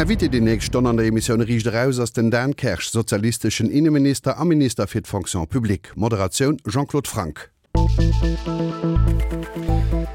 Invité déi nächst Stonn an der Emissioun Riicht Eraus ass den Dan Kersch, sozialisteschen Inneminister a Minister fir d'Fonction publique. Moderatioun Jean-Claude Franck.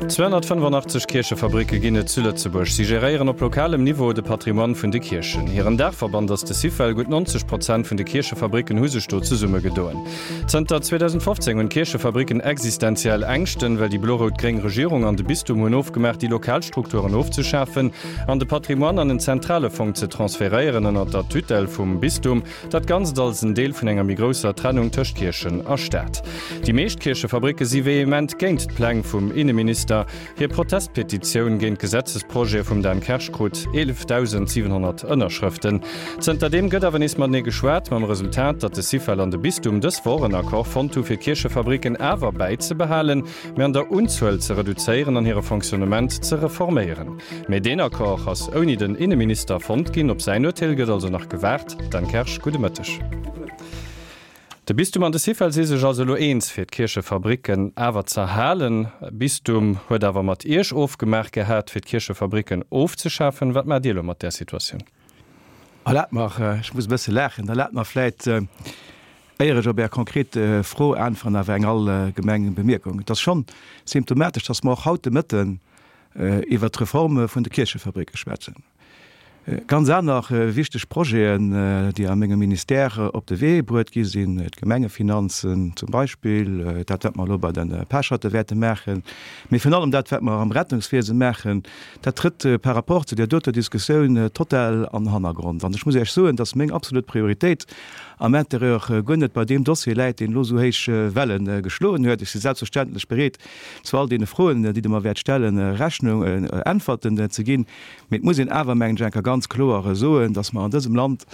285 Kierchefabricke ginn et zu Lëtzebuerg. Si geréieren op lokalem Niveau de Patrimoine vun de Kierchen. Hiren Daachverband ass de Syfel. Gutt 90 Prozent vun de Kierchefabricken hu sech do zesummegedoen. Zënter 2015 hunn d'Kierchefabricken existenziell Ängschten, well déi blo-rout-gréng Regierung an de Bistum hunn ofgemaach, déi lokal Strukturen ofzeschafen an de Patrimoine an en zentrale Fong ze transferéieren ënner der Tutelle vum Bistum. Dat Ganzt als en Deel vun enger méi grousser Trennung tëscht Kierchen a Staat. Déi meescht Kierchefabricke si vehement géint d'Pläng vum Inneminister. Hir Protestpetitioun géint d'Gesetzesprojete vum Dan Kersch krut 11.700 Ënnerschrëften. Zënterdeem gëtt awer nees matenee geschwat, mam Resultat, datt de Syfel an de Bistum dës Woch en Accord fonnt hu fir d'Kierchefabricken awer bäizebehalen, mee an der Unzuel ze reduzéieren an hire Fonctionnement ze reforméieren. Mee deen Accord ass ouni den Inneminister fonnt ginn. Op säin Urteel gëtt also nach gewaart. Dan Kersch, gudde Mëtteg. De Bistum an de Syfel si sech also elo eens, fir d'Kierchefabricken awer z'erhalen. Bistum huet awer mat Iech ofgemaach gehat, fir d'Kierchefabricken ofzeschafen. Wat maacht Dir elo mat där Situatioun? Erlaabt mer, ech muss e bësse laachen, erlaabt mer vläit, éier ech op Är konkret Fro äntweren, awer eng allgemeng Bemierkung. Et ass schonn symptomatesch, dass mer och haut de Mëtten iwwert d'Reforme vun de Kierchefabricke schwätzen. Ganz aner wichteg Projeten, déi a mengem Ministère op de Wee bruet gi sinn, d'Gemengefinanzen zum Beispill, dat wat mer elo bei de Pecherte wäerte maachen, mee virun allem dat wat mer am Rettungswiese maachen, dat trëtt par rapport zu där doter Diskussioun total an den Hannergrond. An ech muss Iech soen, dass meng absolut Prioritéit am Intérieur guer net bei deem Dossier läit, deen elo esou héich Welle geschloen huet. Ech si selbstverständlech bereet, zu all deene Froen, déi Der mer wäert stellen, Rechnung, Äntwerten ze ginn. Mee et muss een awer, mengen ech, eng Kéier ganz kloer soen, dass mer an dësem Land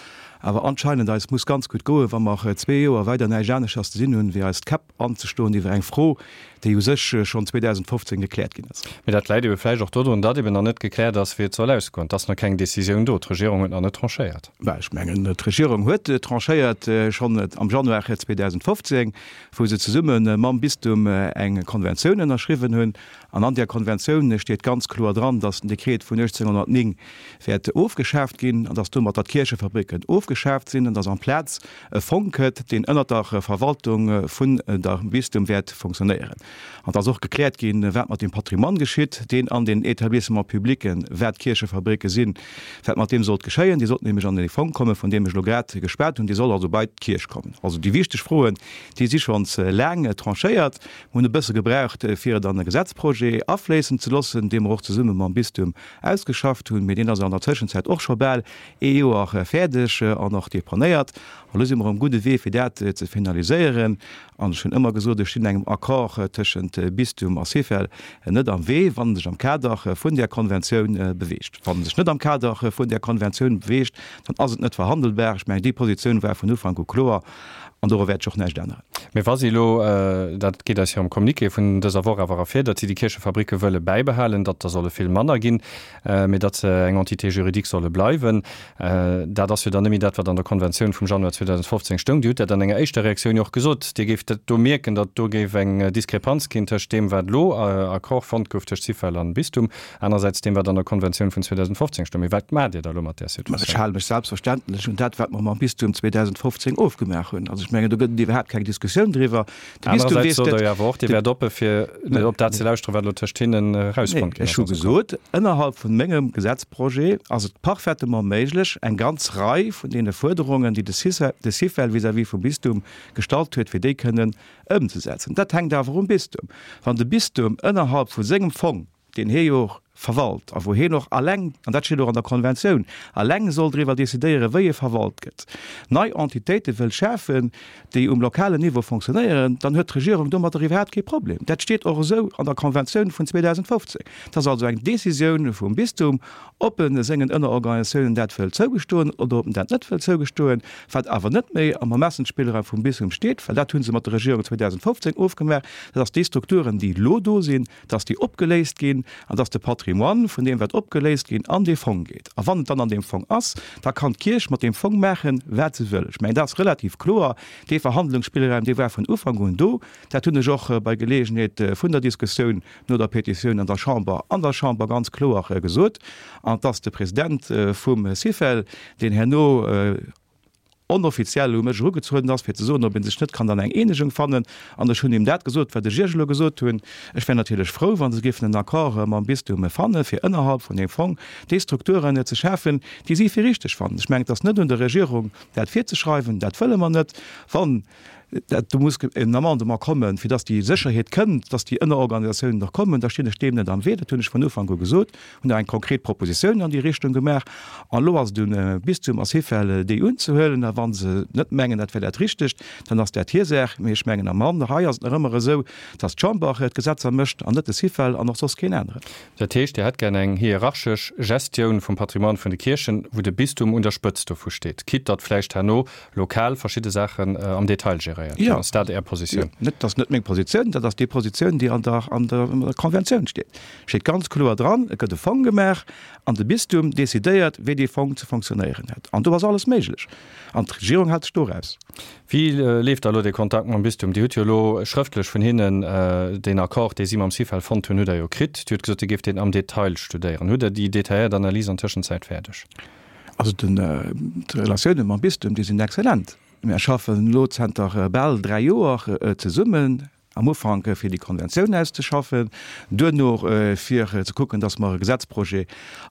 awer anscheinend eis muss ganz gutt goen, wa mer zwee Joer weider näischt aneschters ze dinn hunn, wéi eis d'Käpp anzeschloen iwwer eng Fro, déi u sech schonn 2015 gekläert ginn ass. Mee dat läit ebe vläicht och dodrun, datt eben nach net gekläert ass, wéi et soll ausgoen. Et ass nach keng Décisioun do. D'Regierung huet nach net tranchéiert. Bah, ech mengen, d'Regierung huet tranchéiert schonn am Januar 2015, wou se zesumme mam Bistum eng Konventioun ënnerschriwwen hunn. An an där Konventioun steet ganz kloer dran, dass den Dekret vun 1809 wäert ofgeschaaft ginn an dass domatter d'Kierchefabricken ofgeschaaft sinn an dass amplaz e Fong këtt, deen ënnert der Verwaltung vun der Bistum wäert funktionéieren. An et ass och gekläert ginn, wat mat dem Patrimoine geschitt, deen an den Établissements publics, wat d'Kierchefabricke sinn, wat mat deem sollt geschéien. Dee sollt nämlech an dee Fong kommen, vun deem ech elo grad geschwat hunn. Dee soll also bei d'Kierch kommen. Also déi wichteg Froen, déi si schonns laang tranchéiert. Mir hunn e bësse gebraucht, fir et an e Gesetzprojet afléissen ze loossen, dee mer och zesumme mam Bistum ausgeschafft hunn. Mee deen ass an der Tëschenzäit och scho bal ee Joer fäerdeg an och deponéiert. An elo si mer um gudde Wee, fir dat ze finaliséieren. An ech hunn ëmmer gesot, ech stinn engem Accord tëschent Bistum a Syfel net am Wee, wann en sech am Kader vun där Konventioun beweegt. Wann en sech net am Kader vun där Konventioun beweegt, dann ass et net verhandelbar. Ech mengen, déi Positioun war vun Ufank u kloer an doru wäert sech och näischt änneren. Mee wa si elo, dat geet aus hirem Communiqué vun dëser Woch awer ervir, datt si déi Kierchefabricke wëlle bäibehalen, datt der solle vill manner ginn, mee datt se eng Entité juridique solle bleiwen, dat ass jo dann net méi dat, wat an der Konventioun vum Januar 2015 stoung. Dir hutt dat an enger éischter Reaktioun jo och gesot, Dir géift dat do mierken, datt do géif eng Diskrepanz ginn tëscht deem, wat elo Accord fonnt gouf tëscht Syfel an Bistum, anerersäits deem, wat an der Konventioun vun 2015 stoung. Mee wat maacht Dir da elo mat där Situatioun? Ech hale mech selbstverständlech un dat, wat mer mam Bistum 2015 ofgemaach hunn. Also ech mengen, do gëtt et iwwerhaapt keng Diskussioun driwwer. De Bistum Anerersäits weess sot Der jo awer och, Dir wäert oppe fir op dat ze lauschteren, wat elo tëscht hinnen erausfonnt ginn ass. Ech hu gesot, ënnerhalb vun mengem Gesetzprojet ass et parfaitement méiglech, eng ganz Rei vun deene Fuerderungen, déi de Syfel vis-à-vis vum Bistum gestallt huet, fir déi kënnen ëmzesetzen. Dat hänkt awer um Bistum. Wann de Bistum ënnerhalb vu sengem Fong, deen hie jo och verwalt a wou hien och alleng, an dat steet och an der Konventioun, alleng soll driwwer decidéieren, wéi e verwalt gëtt, nei Entitéite wëll schafen, déi um lokalen Niveau fonctionnéieren, dann huet d'Regierung domadder iwwerhaapt kee Problem. Dat steet och esou an der Konventioun vun 2015. Et ass also eng Décisioun vum Bistum, ob e sengen Ënnerorganisatiounen dat wëll zougestoen oder ob en dat net wëll zougestoen, wat awer net méi am Ermessensspillraum vum Bistum steet, well dat hu se mat der Regierung 2015 ofgemaach, dat ass déi Strukturen, déi elo do sinn, dass déi opgeléist ginn an dass de Patrimoine. Patrimoine, vun deem wat opgeléist ginn, an dee Fong geet. A wann et dann an deem Fong ass, da kann d'Kierch mat deem Fong maachen, wat se wëll. Ech mengen, dat ass relativ kloer. Dee Verhandlungsspillraum, dee war vun Ufank un do. Dat hunn ech och bei Geleegenheet vun der Diskussioun no der Petitioun an der Chamber an der Chamber ganz kloer gesot. An et ass de President vum Syfel, deen herno onoffiziell u mech erugezueden ass, fir ze soen, ob ee sech net kann an eng Eenegung fannen. An ech hunn him dat gesot, wat ech Iech elo gesot hunn. Ech wär natierlech frou, wa se géifen en Accord mam Bistum fannen, fir ënnerhalb vun deem Fong déi Strukturen ze schafen, déi si fir richteg fannen. Ech mengen, et ass net un der Regierung, dat virzeschreiwen. Dat wëlle mer net. Wann dat, do muss en Amendement kommen, fir dass déi Sécherheet kënnt, dass déi Ënnerorganisatiounen och kommen, da stinn ech deem net am Wee. Dat hunn ech vun Ufank u gesot, hunn och eng konkret Propositioun an déi Richtung gemaach. An elo ass et un Bistum a Syfel, déi unzehuelen. A wa se net mengen, dat wär dat Richtegt, dann ass dat hir Saach. Mee ech mengen, am An hei ass et nach ëmmer esou, dass d'Chamber d'Gesetzer mécht an net de Syfel an och soss keen aneren. Dat heescht, Dir hätt gär eng hierarchesch Gestioun vum Patrimoine vun de Kierchen, wou de Bistum un der Spëtzt dovu steet, quitte datt vläicht herno lokal verschidde Saachen am Detail geréiert ginn. Ass dat Är Positioun? Jo, net, dat ass net meng Positioun, dat ass déi Positioun, déi an der, an der Konventioun steet. Steet ganz kloer dran, et gëtt e Fong gemaach an de Bistum decidéiert, wéi dee Fong ze fonctionnéieren hätt. An do ass alles méiglech. An d'Regierung hält sech do raus. Wéi leeft da elo dee Kontakt mam Bistum? Dir hutt jo elo schrëftlech vun hinnen deen Accord, dee si mam Syfel fonnt hunn, hutt Der jo kritt. Dir hutt gesot, Dir géift deen am Detail studéieren. Hutt Der déi detailléiert Analys an Tëschenzäit fäerdeg? Also d'Relatioune mam Bistum, déi sinn exzellent. Mir schaffen elo zanter bal 3 Joer zesummen, am Ufank fir déi Konventioun auszeschaffen, duerno fir ze kucken, datt mer e Gesetzprojet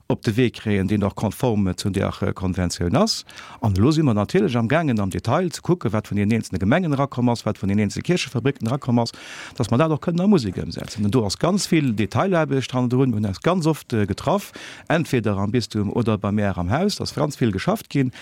op de Wee kréien, deen och konform zu där Konventioun ass. An elo si mer natierlech amgaangen am Detail ze kucken, wat vun deenen eenzelne Gemengen erakomm ass, wat vun den eenzelne Kierchefabricken erakomm ass, datt mer dat och kënnen a Musek ëmsetzen. An do ass ganz vill Detailaarbecht hannendrun. Mir hunn eis ganz oft getraff, entweder am Bistum oder bei mär am Haus, ass ganz vill geschafft ginn.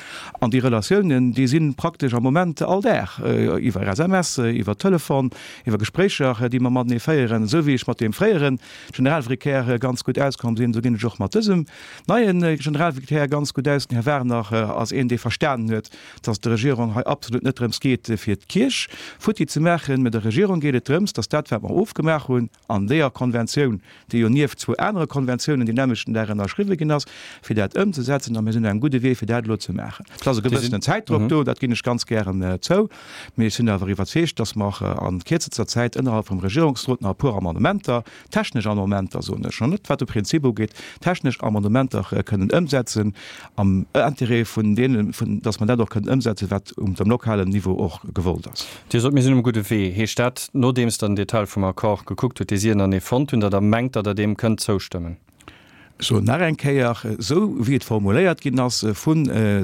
An déi Relatiounen, déi si praktesch am Moment all Dag, iwwer SMS, iwwer Telefon, iwwer Gespréicher, déi mer matenee féieren. Esou wéi ech mat deem fréiere Generalvicaire ganz gutt auskomm sinn, esou ginn ech och mat dësem neie Generalvicaire ganz gutt aus. Den Här Werner ass een, dee verstanen huet, dass et der Regierung hei absolut net drëms geet, fir d'Kierch futti ze maachen, mä der Regierung geet et drëms, dass dat, wat mer ofgemaach hunn, an deeër Konventioun, déi jo nieft zwou anere Konventiounen deen nämmlechten Dag ënnerschriwwe ginn ass, fir dat ëmzesetzen. A mir sinn op engem gudde Wee, fir dat elo ze maachen. Et ass e gewëssenen Zäitdrock do, dat ginn ech ganz gären zou, mee ech sinn awer iwwerzeegt, dass mer a kierzester Zäit ënnerhalb vum Regierungsrot nach e puer Amendementer, technesch Amendementer soen ech, net wat de Prinzip ugeet, technesch Amendementer kënnen ëmsetzen am Intérêt vun deenen, dass mer dat och kënnen ëmsetzen, wat um dem lokalen Niveau och gewollt ass. Dir sot, mir sinn um gudde Wee. Heescht dat, nodeems Der den Detail vum Accord gekuckt hutt, dee si ënnerenee fonnt hunn, datt Der mengt, datt Der deem kënnt zoustëmmen? Ech soen nach eng Kéier, esou wéi et formuléiert ginn ass vu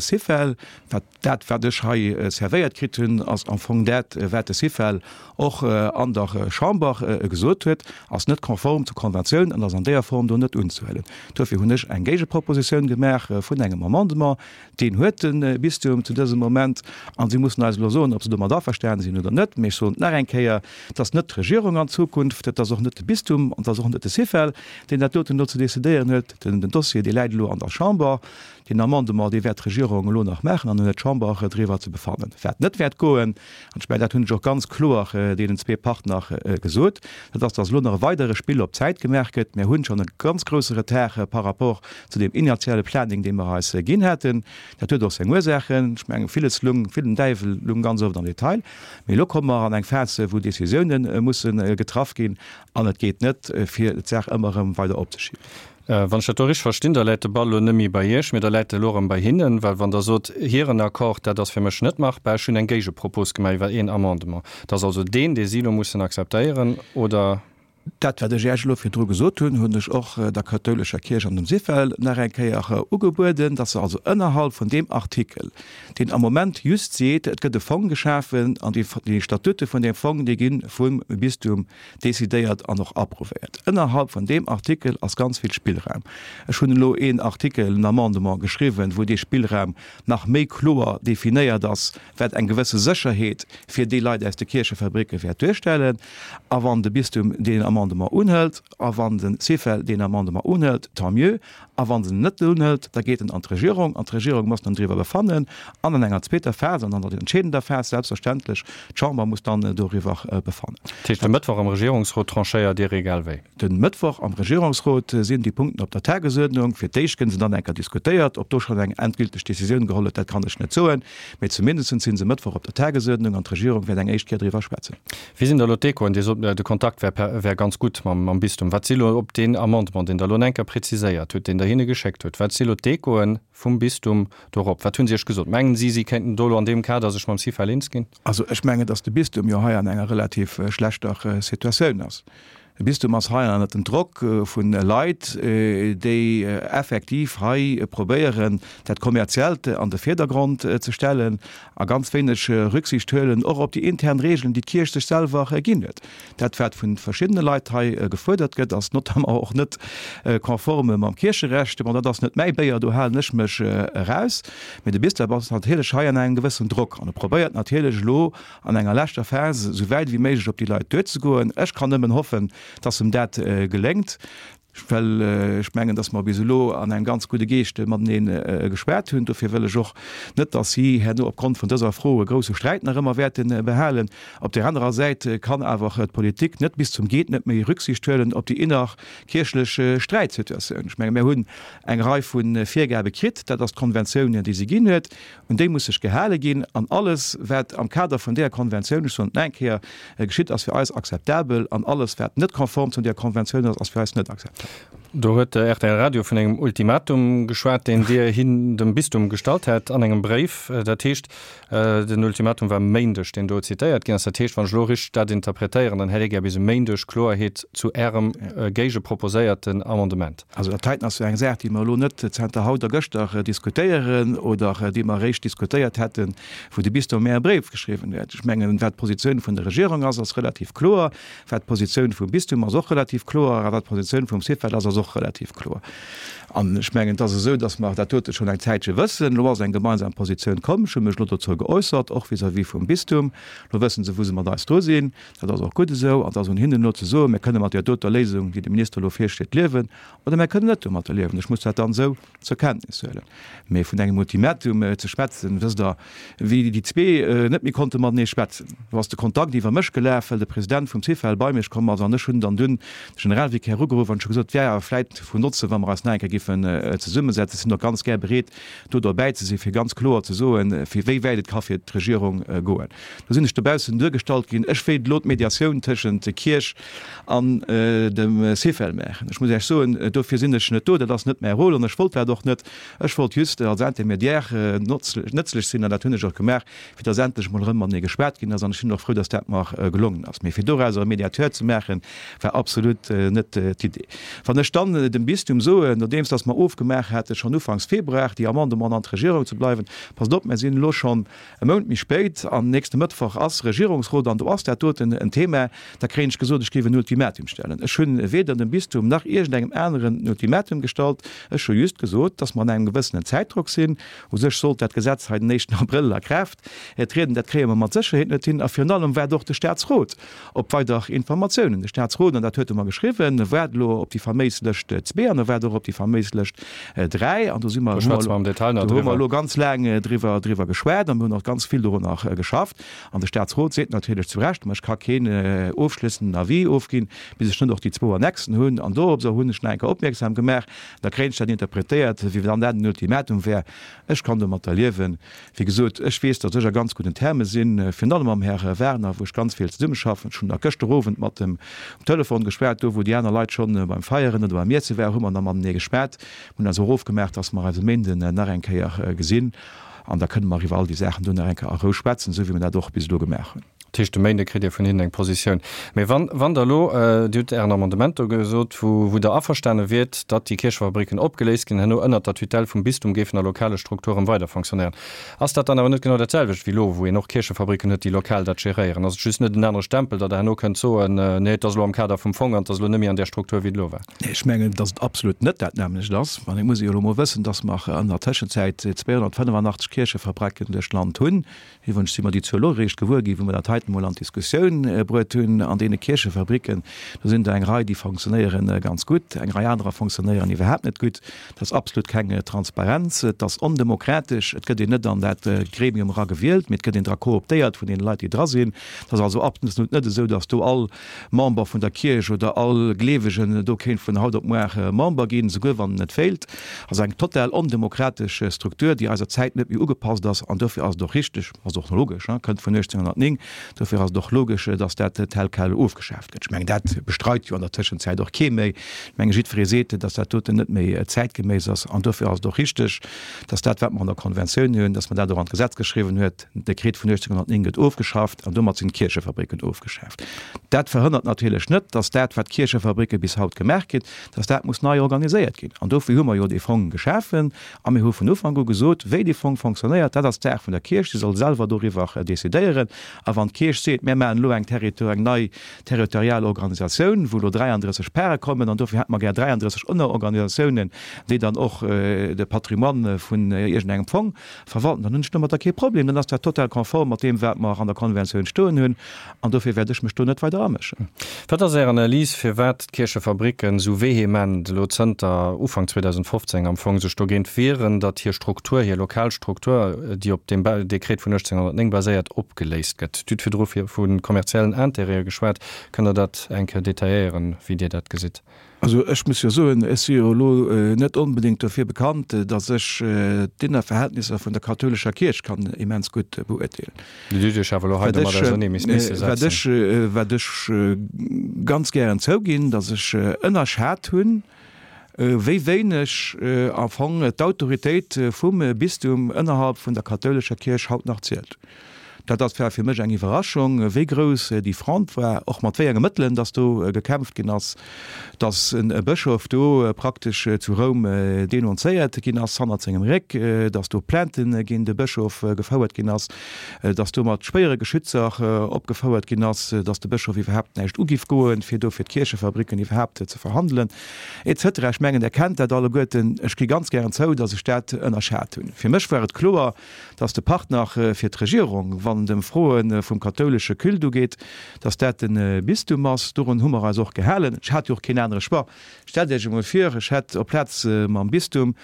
Syfel, wat dat, wat ech hei servéiert kritt hunn, ass am Fong dat, wat de Syfel och an der Chamber gesot huet, ass net konform zur Konventioun an ass an deeër Form do net unzehuelen. Dofir hunn ech eng Géigepropositioun gemaach vun engem Amendement, Deen huet de Bistum zu dësem Moment. A si mussen eis elo soen, ob se domat averstanen sinn oder net. Mee ech soen et nach eng Kéier, Et ass net d'Regierung an Zukunft, et ass och net de Bistum an et ass och net de Syfel, deen dat doten elo ze decidéieren huet. Den Dossier, dee läit elo an der Chamber. Deen Amendement, dee wäert d'Regierung elo nach maachen an dann huet d'Chamber driwwer ze befannen. Wat net wäert goen, an ech mengen, dat hunn ech och ganz kloer deenen zwee Partner gesot, dat ass, dass elo nach e weidere Spill op Zäit gemaach gëtt. Mir hunn schonn e ganz grousse Retard par rapport zu deem initiale Planning, dee mer eis ginn haten. Dat huet och seng Ursaachen. Ech mengen, villes lung, vill den Däiwel lung ganz oft am Detail. Mee elo komme mer an eng Phas, wou Décisiounen musse getraff ginn an et geet net, fir d'Saach ëmmer erëm weider opzeschiben. Wann ech dat do richteg verstinn, da läit de Ball elo net méi bei Iech, mee da läit e elo erëm bei hinnen. Well wann Der sot, hiren Accord, dat ass fir mech net machbar, ech hunn eng Géigepropos gemaach iwwer een Amendement, dat ass also deen, dee si elo mussen akzeptéieren, oder? Dat, wat ech Iech elo virdru gesot hunn, hunn ech och der kathoulescher Kierch an dem Syfel nach eng Kéier ugebueden, dass se also ënnerhalb vun deem Artikel, deen am Moment just seet, et gëtt e Fong geschafen an déi Statute vun deem Fong, déi gi vum Bistum decidéiert an och approuvéiert. Ënnerhalb vun deem Artikel ass ganz vill Spillraum. Ech hunn elo een Artikel, en Amendement geschriwwen, wou dee Spillraum nach méi kloer definéiert ass, wat eng gewësse Sécherheet fir déi Leit aus de Kierchefabricke wäert duerstellen. A wann de Bistum deen. Amendement unhëlt. A wann de Syfel deen Amendement unhëlt, tant mieux. A wa se en net unhëlt, da geet en an d'Regierung an d'Regierung muss dann driwwer befannen an an enger zweeter Phas an an der entscheedender Phas selbstverständlech d'Chamber muss dann doriwwer befannen. Dat heescht, de Mëttwoch am Regierungsrot tranchéiert Dir egal wéi? De Mëttwoch am Regierungsrot sinn déi Punkten op der Tagesuerdnung. Fir d'éischt gënn se dann eng Kéier diskutéiert. Ob do schonn eng endgülteg Décisioun geholl huet, dat kann ech net soen. Mee zumindest si se Mëttwoch op der Tagesuerdnung an d'Regierung wäert eng éischt Kéier driwwer schwätzen. Wéi sinn da elo d'Echoen? Dir sot, de Kontakt wär per, wär ganz gutt mam, mam Bistum. Wat si elo op deen Amendement, deen Der elo enker präziséiert hutt, deen Der hinne geschéckt hutt, wat si elo d'Echoe vum Bistum dorop? Wat hu si Iech gesot? Mengen si, si kéinten do elo an deem Kader sech mam Syfel eens ginn? Also ech mengen, datt de Bistum jo hei an enger relativ schlechter Situatioun ass. De Bistum ass hei ënnert dem Drock vu Leit, déi effektiv hei probéieren, dat Kommerziellt an de Virdergrond ze stellen a ganz wéineg Rücksicht huelen och op déi intern Regeln, déi d'Kierch sech selwer ginn huet. Dat, wat vu verschiddene Leit hei gefuerdert gëtt, ass notamment och net konforme mam Kiercherecht. Bon, dat ass net mäi Béier, do halen ech mech eraus. Mee de Bistum ass natierlech hei an engem gewëssen Drock an e probéiert natierlech elo, an enger leschter Phas esou wäit ewéi méiglech op déi Leit duerzegoen. Ech kann nëmmen hoffen, dass em dat geléngt, well ech mengen, dass mer bis elo an engem ganz gudde Geescht matenee geschwat hunn. Dofir wëll ech och net, dass si herno opgrond vun dëser Fro e grousse Sträit nach ëmmer wäerte behalen. Op där anerer Säit kann awer d'Politik net bis zum Geet-net-méi Rücksicht huelen op déi innerkierchlech Sträitsituatioun. Ech menge mir hunn eng Rei vu Virgabe kritt, dat ass d'Konventioun, déi se ginn huet. Un déi muss sech gehale ginn, an alles, wat am Kader vun deeër Konventioun, ech soen et nach eng Kéier, geschitt, ass fir eis akzeptabel, an alles, wat net konform zu deeër Konventioun ass, ass fir eis net akzeptabel. Do huet de rtl Radio vun engem Ultimatum geschwat, deen Dir hin dem Bistum gestallt hätt an engem Bréif. Dat heescht, den Ultimatum war e Méindeg, deen do zitéiert ginn ass. Dat heescht, wann ech elo richteg dat interpretéieren, dann hätt Dir gär bis e Méindeg Kloerheet zu Ärem géigeproposéierten Amendement. Also dat heiten ass jo eng Saach, déi mer elo net zanter haut a gëschter diskutéieren oder déi mer eréischt diskutéiert hätten, wou de Bistum mär e Bréif geschriwwen huet. Ech mengen, wat d'Positioun vun der Regierung ass, ass relativ kloer. Wat d'Positioun vum Bistum ass, och relativ kloer. A wat d'Positioun vum Syfel ass, ass och relativ kloer. An ech mengen, et ass esou, datt mer dat dote schonn eng Zäitche wëssen. Elo ass eng gemeinsam Positioun komm. Ech hu mech elo dozou geäussert, och vis-à-vis vum Bistum. Elo wësse se, wou se mat eis dru sinn. Dat ass och gutt esou. An et ass un hinnen elo ze soen, Mir kënne mat där doter Léisung, déi de Minister elo virschléit, liewen, oder mir kënnen net domatter liewen. Ech muss dat dann esou zur Kenntnis huelen. Mee vun engem Ultimatum ze schwätzen, wësst Der, wéi déi zwee net méi konnte matenee schwätzen, do ass de Kontakt iwwer mech gelaf, well de President vum Syfel bei mech komm ass an ech hunn dann dunn de Generalvicaire ugeruff an ech hu gesot, et wär awer vläit vun Notze wa mer eis nach eng Kéier giffen zesummesetzen. Ech sinn och ganz gär bereet, do derbäi ze sinn, fir ganz kloer ze soen, fir wéi wäit et ka fir d'Regierung goen. Do sinn ech dobaussen duergestallt ginn, ech wéilt elo d'Mediatioun tëschent Kierch an dem Syfel maachen. Ech muss Iech soen, dofir sinn ech net do, dat ass net mäi Rôle an ech wollt dat och net. Ech wollt just als Intermédiaire nëtzlech sinn an dat hunn ech och gemaach, fir dass endlech emol erëm matenee geschwat ginn ass an ech sinn och frou, dass dat mer gelongen ass. Mee fir dorauser e Mediateur ze maachen, war absolut net d'Idee. Wann ech dann dem Bistum soen, nodeems dass mer ofgemaach hate schonn ufanks Februar, déi Amendementen an d'Regierung ze bleiwen, Passt op, mer sinn elo schonn e Mount méi spéit an nächste Mëttwoch ass Regierungsrot an do ass dat doten en Thema, da kréien ech gesot, ech géif en Ultimatum stellen. Ech hunn weder dem Bistum nach iergendengem aneren en Ultimatum gestallt. Ech hu just gesot, dass mer an engem gewëssenen Zäitdrock sinn. U sech sollt dat Gesetz hei den éischten Abrëll a Kraaft trieden. Dat kréie mer mat Sécherheet net hin. A virun allem waart och de Statsrot op weider Informatiounen. De Statsrot, an dat huet e mer geschriwwen, waart elo op déi faméis Lëscht zwee an e waart och op déi faméis Lëscht 3. An do si mer, Do schwätze mer am Detail nach do hu mer driwwer. elo ganz laang driwwer, driwwer geschwat an mir hunn och ganz vill dorunner geschafft. An de Statsrot seet natierlech zu Recht, ma ech ka keen ofschlëssenden Avis ofginn, bis ech net och déi zwou Annexen hunn. An doropser hunn ech nach eng Kéier opmierksam gemaach, da kréien ech dat interpretéiert, wéi wann dat en Ultimatum wär. Ech kann domatter liewen. Wéi gesot, ech weess, datt ech a ganz gudden Terme sinn, virun allem mam Här Werner, wou ech ganz vill zesummeschaffen. Ech hunn nach gëschter Owend mat em um Telefon geschwat, do wou déi aner Leit schonn beim Feieren oder beim Iesse waren, hu mer nach matenee geschwat. Mir hunn eis och ofgemaach, datt mer eis e Méinden nach eng Kéier gesinn an da kënne mer iwwer all déi Saachen do nach eng Kéier a Rou schwätzen, esou wéi mer dat och bis elo gemaach hunn. Dat heescht, de Méinde kritt Dir vun hinnen eng Positioun. Mee wann, wann Der elo, Dir hutt Ären Amendement do gesot, wou, wou Der averstane wiert, datt déi Kierchefabricken opgeléist ginn, herno ënnert der Tutelle vum Bistum géifen a lokale Strukturen weider fonctionnéieren, ass dat dann awer net genau dat selwecht wéi elo, wou een och Kierchefabricken huet, déi lokal dat geréieren? Ass et just net en anere Stempel, datt Der herno kënnt soen, nee, et ass elo am Kader vum Fong an et ass elo net méi an där Struktur, wéi et elo war? Nee, ech mengen, datt et absolut net dat nämmlecht ass. An et muss ee jo elo mol wëssen, datt mer an der Tëschenzäit 285 Kierchefabricken duerch d'Land hunn. Iwwregens si mer déi Zuel och eréischt gewuer ginn, wou mer dat heiten. Leit emol an d'Diskussioun bruet hunn an deene Kierchefabricken. Do sinn der eng Rei, déi fonctionnéiere ganz gutt, eng Rei anerer fonctionnéieren iwwerhaapt net gutt. Et ass absolut keng Transparenz, et ass ondemokratesch, et gëtt een net an dat Gremium era gewielt, mee et gëtt een dra kooptéiert vun deene Leit, déi dra sinn. Et ass also absolut net esou, datt do all Member vun der Kierch oder all Gleewegen do kéint vun haut op muar Member ginn, souguer wann en et wéilt. Also eng total ondemokratesch Struktur, déi eiser Zäit net méi ugepasst ass. An dofir ass et och richteg, ass och logesch, kënnt vun 1809, dofir ass et och logesch, datt dat tel quel ofgeschaaft gëtt. Ech mengen, dat bestreit jo an der Tëschenzäit och kee méi. Ech menge jiddweree seet, datt dat doten net méi zäitgeméiss ass. An dofir ass et och richteg, datt dat, wat mer an der Konventioun hunn, datt mer dat och an d'Gesetz geschriwwen huet, Den Dekret vun 1809 gëtt ofgeschafft an domat sinn d'Kierchefabricken ofgeschaaft. Dat verhënnert natierlech net, dass dat, wat d'Kierchefabricke bis haut gemaach ginn, dass dat muss nei organiséiert ginn. An dofir hu mer jo dee Fong geschafen a mir hu vun Ufank u gesot, wéi dee Fong fonctionnéiert, dat ass d'Saach vun der Kierch, si soll selwer doriwwer decidéieren. A wann d'Kierch seet, mir maachen elo eng Territor, eng nei territorial Organisatioun, wou elo 33 Pare kommen an dofir hätte mer gär 33 Ënnerorganisatiounen, déi dann och de Patrimoine vun iergendengem Fong Verwalten, dann hunn ech domatter kee Problem, dann ass dat total konform mat deem, wat mer an der Konventioun stoen hunn, an dofir wäert ech mech do net weider amëschen. Wat ass Är Analys, firwat d'Kierchefabricken esou vehement elo zënter Ufank 2015 am Fong sech dogéint wieren, datt hir Struktur, hir lokal Struktur, déi op deem Dekret vun 1809 baséiert, opgeléist gëtt? Dir hutt virdru vu kommerziellen Intérêtë geschwat. Kënnt Der dat eng Kéier detailléieren, wéi Dir dat gesitt? Also ech muss jo soen, ech si jo elo net onbedéngt dofir bekannt, datt ech d'Innerverhältnisser vun der kathoulescher Kierch kann immens gutt beurteelen. Dir hutt Iech awer elo hei domat ausernee misse setzen. Wat ech ganz gären zouginn, datt ech ënnerschat hunn, wéi wéineg am Fong d'Autoritéit vum Bistum ënnerhalb vun der kathoulescher Kierch haut nach zielt. Dat ass war fir mech eng Iwwerraschung, wéi grouss déi Fronte war, och mat wéi enge Mëttelen dass do gekämpft ginn ass, dass e Bëschof do praktesch zu Roum denunzéiert ginn ass hannert sengem Réck, dass do Plaintë géint de Bëschof gefouert ginn ass, dass do mat schwéiere Geschützer opgefouert ginn ass, dass de Bëschof iwwerhaapt näischt ugiff goen, fir do fir d'Kierchefabricken iwwerhaapt ze verhandelen, etc. Ech mengen, Der kennt dat alleguerten. Ech gi ganz gären zou, dass ech dat ënnerschat hunn. Fir mech war et kloer, dass de Partner fir d'Regierung, wann et ëm Froe vum kathoulesche Culte ugeet, dass dat de Bistum ass. Dorun hu mer eis och gehalen. Ech hat jo och keen anere Choix. Stellt Iech emol vir, ech hätt op Plaz mam Bistum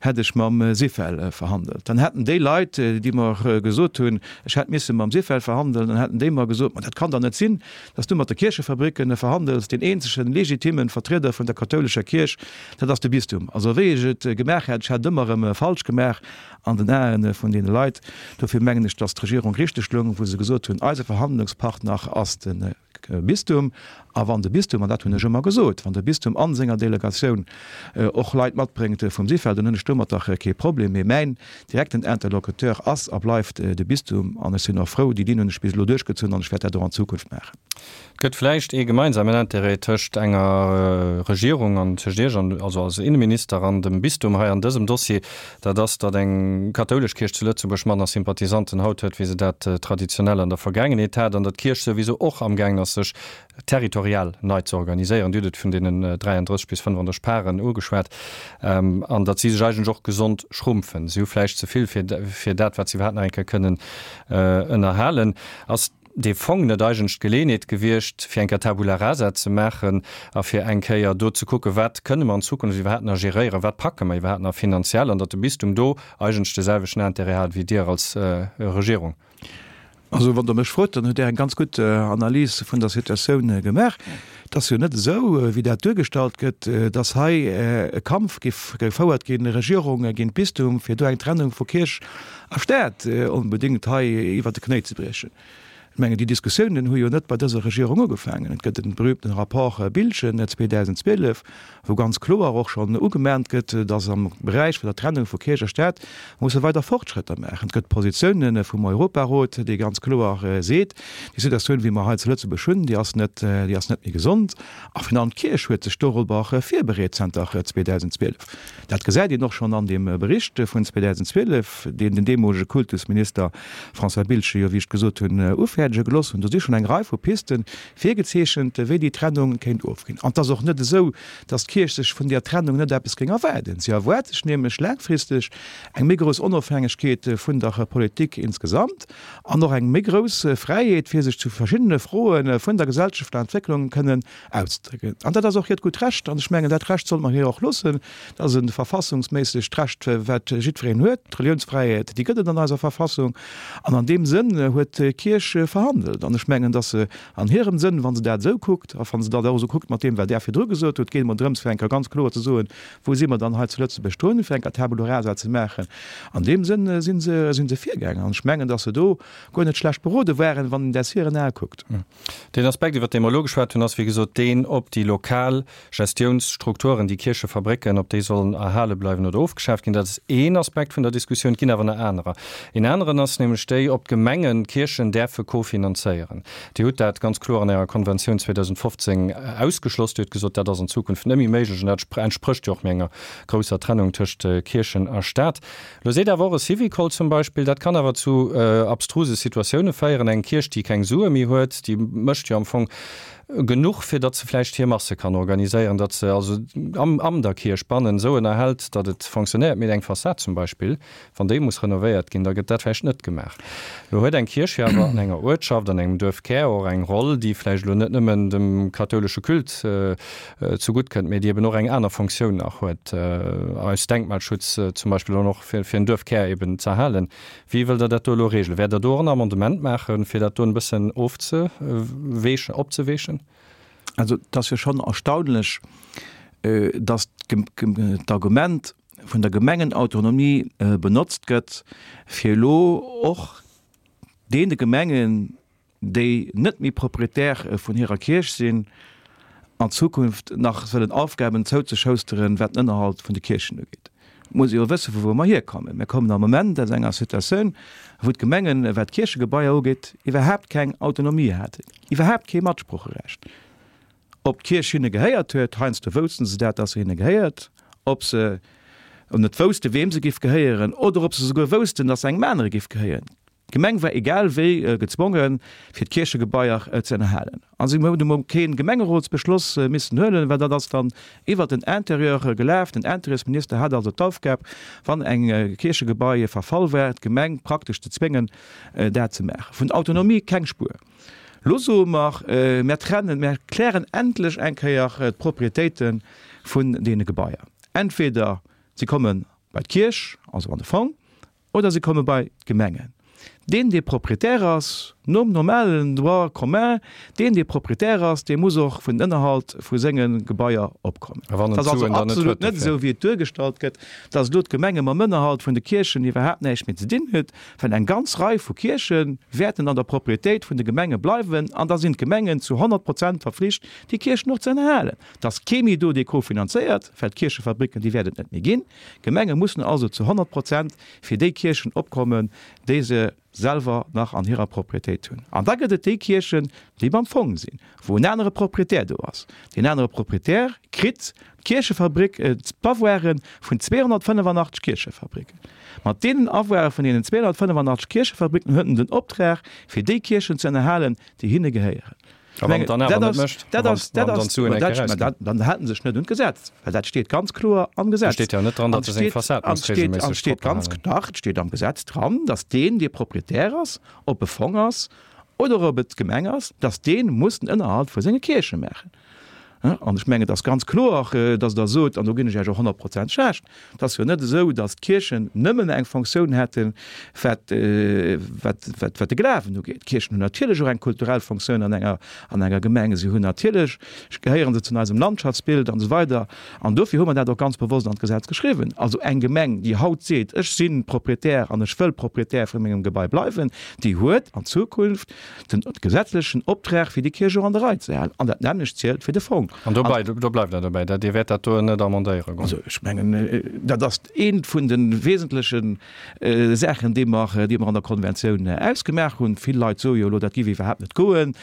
hätt ech mam Syfel verhandelt. Dann hätten déi Leit, déi mer gesot hunn, ech hätt misse mam Syfel verhandelen, dann hätten déi mer gesot, Ma dat kann dach net sinn, dass du mat de Kierchefabricken verhandels, deen eenzegen legitimen Vertrieder vun der kathoulescher Kierch, dat ass de Bistum. Also wéi ech et gemaach hätt, ech hätt et ëmmer erëm falsch gemaach. An den Aen vun deene Leit. Dofir mengen ech, dass d'Regierung richteg loung, wou se gesot hunn, eise Verhandlungspartner ass de Bistum. A wann de Bistum, an dat hunn ech ëmmer gesot, wann de Bistum a senger Delegatioun och Leit matbréngt vum Syfel, dann hunn ech domatter kee Problem. Mee mäin direkten Interlocuteur ass a bleift de Bistum. An ech sinn och frou, déi Linn hunn ech bis elo duerchgezunn an ech wäert dat och an Zukunft maachen. Et gëtt vläicht ee gemeinsamen Intérêt tëscht enger Regierung an tëscht Iech an, also als Inneminister an dem Bistum hei an dësem Dossier, dat ass, datt eng kathoulesch Kierch zu Lëtzebuerg manner Sympathisanten haut huet, wéi se dat traditionell an der Vergaangenheet hat, an datt d'Kierch souwisou och amgaangen ass, sech territorial nei ze organiséieren. Dir hutt et vun deenen 33 bis 35 Paren ugeschwat, an datt si sech eigentlech och gesond schrumpfen. Si hu vläicht ze vill fir fir dat, wat se iwwerhaapt nach eng Kéier kënnen ënnerhalen. Ass dee Fong net eigentlech d'Geleeënheet gewiescht, fir eng Kéier Tabula rasa ze maachen a fir eng Kéier do ze kucken, wat kënne mer an Zukunft iwwerhaapt nach geréieren, wat packe mer iwwerhaapt nach finanziell, an datt de Bistum do eigentlech de selwechten Intérêt hat wéi Dir als Regierung? Also, wann Der mech frot, dann hutt Där eng ganz gutt Analys vun der Situatioun gemaach. Et ass jo net esou, wéi dat duergestallt gëtt, datt hei e Kampf géif gefouert ginn, Regierung géint Bistum, fir do eng Trennung vu Kierch a Staat onbedéngt hei iwwert de Knéi ze briechen. Ech mengen, déi Diskussiounen hu jo net bei dëser Regierung ugefaangen. Et gëtt de berühmten Rapport Biltgen 2012, wou ganz kloer och schonn ugemahnt gëtt, datt am Beräich vun der Trennung vu Kierch a Staat musse weider Fortschrëtter maachen. Et gëtt Positiounen vum Europarot, dee ganz kloer seet, déi Situatioun, wéi mer hei zu Lëtzebuerg hunn, déi ass net, déi ass net méi gesond. A virun allem d'Kierch huet sech dorobber virbereet zanter 2012. Dat gesäit een och schonn an deem Bericht vun 2012, deen den deemolege Kultusminister François Biltgen jo, wéi ech gesot hunn, ufäerdegt. fäerdege gelooss hunn. Do si schonn eng Rei vu Pisten virgezeechent, wéi déi Trennung kéint ofginn. An et ass och net esou, datt d'Kierch sech vun där Trennung net eppes géing erwaarden. Si erwaart sech nämlech laangfristeg eng méi grouss Onofhängegkeet vun der Politik insgesamt an och eng méi grouss Fräiheet, fir sech zu verschiddene Froe vun der gesellschaftlecher Entwécklung kënnen auszedrécken. An dat ass och hiert gutt Recht. An ech mengen, dat Recht sollte mer hir och loossen. Dat ass e verfassungsméissegt Recht, wat jiddwereen huet. D'Reliounsfräiheet, déi gëtt et an eiser Verfassung. An an deem Sënn huet d'Kierch verhandelt. An ech mengen, datt se an hirem Sënn, wa se dat esou kuckt, a wa se dat och esou kuckt mat deem, wat Där virdru gesot hutt, geet et emol drëms, fir eng Kéier ganz kloer ze soen, Wou si mer dann hei zu Lëtzebuerg drun, fir eng Kéier Tabula rasa ze maachen? An deem Sënn si se, si se virgaangen. An ech mengen, datt se do guer net schlecht berode waren, wann een dat aus hiren Ae kuckt. Deen Aspekt, iwwert dee mer elo geschwat hunn, ass wéi gesot deen, ob déi lokal Gestiounsstrukturen, déi Kierchefabrécken, ob déi sollen erhale bleiwen oder ofgeschaaft ginn. Dat ass een Aspekt vun der Diskussioun. Et ginn awer nach anerer. Een aneren ass nämlech déi, ob d'Gemengen d'Kierchen däerfe kofinanzéieren. Dir hutt dat ganz kloer an Ärer Konventioun 2015 ausgeschloss. Dir hutt gesot, dat ass an Zukunft net méi méiglech an dat entsprécht jo och méi enger grousser Trennung tëscht Kierchen a Staat. Elo seet awer och e Syvicol zum Beispill, dat kann awer zu abstruse Situatioune féieren. Eng Kierch, déi keng Sue méi huet, déi mécht jo am Fong genuch, fir datt se vläicht hir Masse kann organiséieren, datt se also am am der Kierch bannen esou ënnerhält, datt et fonctionnéiert. Mee eng Fassad zum Beispill, Wann déi muss renovéiert ginn, da gëtt dat vläicht net gemaach. Elo huet eng Kierch jo awer an enger Uertschaft, an engem Duerfkär och eng Roll, déi vläicht elo net nëmmen dem kathoulesche Culte zegutt kënnt, mee déi eben och eng aner Fonctioun nach huet, aus Denkmalschutz zum Beispill an och fir en Duerfkär eben z'erhalen. Wéi wëllt Der dat do elo regelen? Wäert Der do och en Amendement maachen, fir dat do en bëssen ofzeweechen, opzeweechen? Also et ass jo schonn erstaunlech, datt d'Argument, vun der Gemengenautonomie benotzt gëtt, fir elo och deene Gemengen, déi net méi Propriétaire vun hirer Kierch sinn, an Zukunft nach wëllen Aufgaben zouzeschousteren, wat den Ënnerhalt vun de Kierchen ugeet. Et muss ee jo wëssen, vu wou mer hierkommen. Mir kommen am Moment aus enger Situatioun, wou d'Gemengen, wat d'Kierchegebaier ugeet, iwwerhaapt keng Autonomie haten, iwwerhaapt kee Matsprocherecht. Ob d'Kierch hinne gehéiert huet, heiansdo woussten se dat, dass se hinne gehéiert, ob se net woussten, weem se giff gehéieren, oder ob se souguer woussten, dass se engem anere giff gehéieren. D'Gemeng war egal wéi gezwongen, fir d'Kierchegebaier ze ënnerhalen. A si hunn emol kee Gemengerotsbeschloss missen huelen, well dat ass dann iwwert den Interieur gelaf. Den Interieursminister hat also d'Aufgab, wann eng Kierchegebai verfall war, d'Gemeng praktesch ze zwéngen, dat ze maachen. Vun Autonomie keng Spuer. Lo soe mer, Mär trennen, mär klären endlech eng Kéier d'Propriétéite vun deene Gebaier. Entweder si komme bei d'Kierch, also an de Fong, oder si komme bei d'Gemengen. Deen, dee Propriétaire ass, nom normalen Droit commun, deen, dee Propriétaire ass, dee muss och vun den Ënnerhalt vu senge Gebaier opkommen. A wann en Et ass also d'Suen dann net absolut huet net dofir? esou, wéi et duergestallt gëtt, dass elo d'Gemenge mam Ënnerhalt vun de Kierchen iwwerhaapt näischt méi ze dinn huet. Well eng ganz Rei vu Kierche wäerten an der Proprietéit vun de Gemenge bleiwen an da sinn d'Gemengen zu 100 Prozent verflicht, déi Kierchen och ze ënnerhalen. Et ass kee méi do, dee kofinanzéiert, well d'Kierchefabricken, déi wäert et net méi ginn. D'Gemenge mussen also zu 100 Prozent fir déi Kierchen opkommen, déi se selwer nach an hirer Proprietéit hunn. An da gëtt et déi Kierchen, déi beim Fong sinn, wou en anere Proprietär do ass. Deen anere Proprietär kritt d'Kierchefabrik, d'Avoiren vun 285 Kierchefabriken. Mat deenen Avoire vun deenen 285 Kierchefabriken huet en den Optrag, fir déi Kierchen ze ënnerhalen, déi hinne gehéieren. A wann en dann awer net mécht? A wann dann d'Suen eng Kéier erausginn? Dann hält en sech net un d'Gesetz, well dat steet ganz kloer am Gesetz. Do steet jo net dran, datt e seng Fassad muss reegelméisseg propper halen. Dach, et steet am Gesetz dran, datt deen, dee Proprietär ass, ob e Fong ass oder ob et d'Gemeng ass, datt dee muss den Ënnerhalt vu senge Kierche maachen. An ech mengen, et ass ganz kloer, datt Der sot, an do ginn ech Iech och honnertprozenteg Recht, et ass jo net esou, datt d'Kierchen nëmmen eng Fonctioun hätten, wat, wat, wat, wat de Glawen ugeet. D'Kierchen hunn natierlech och eng kulturell Fonctioun an enger, an enger Gemeng. Si hunn natierlech, gehéiere se zu eisem Landschaftsbild an esou weider. An dofir hu mer dat och ganz bewosst an d'Gesetz geschriwwen. Also eng Gemeng, déi haut seet, ech si Proprietär an ech wëll Proprietär vu mengem Gebai bleiwen, déi huet an Zukunft den gesetzlechen Optrag fir déi Kierch och an der Rei ze halen. An dat nämmlecht zielt fir de Fong. Fong. An dobäi, do bleift Der dobäi, dat Dir wäert dat do net amendéiere goen? Also ech mengen, dat ass eent vun de wesentleche Saachen, déi mer, déi mer an der Konventioun ausgemaach hunn. Vill Leit soe jo elo, dat géif iwwerhaapt net goen.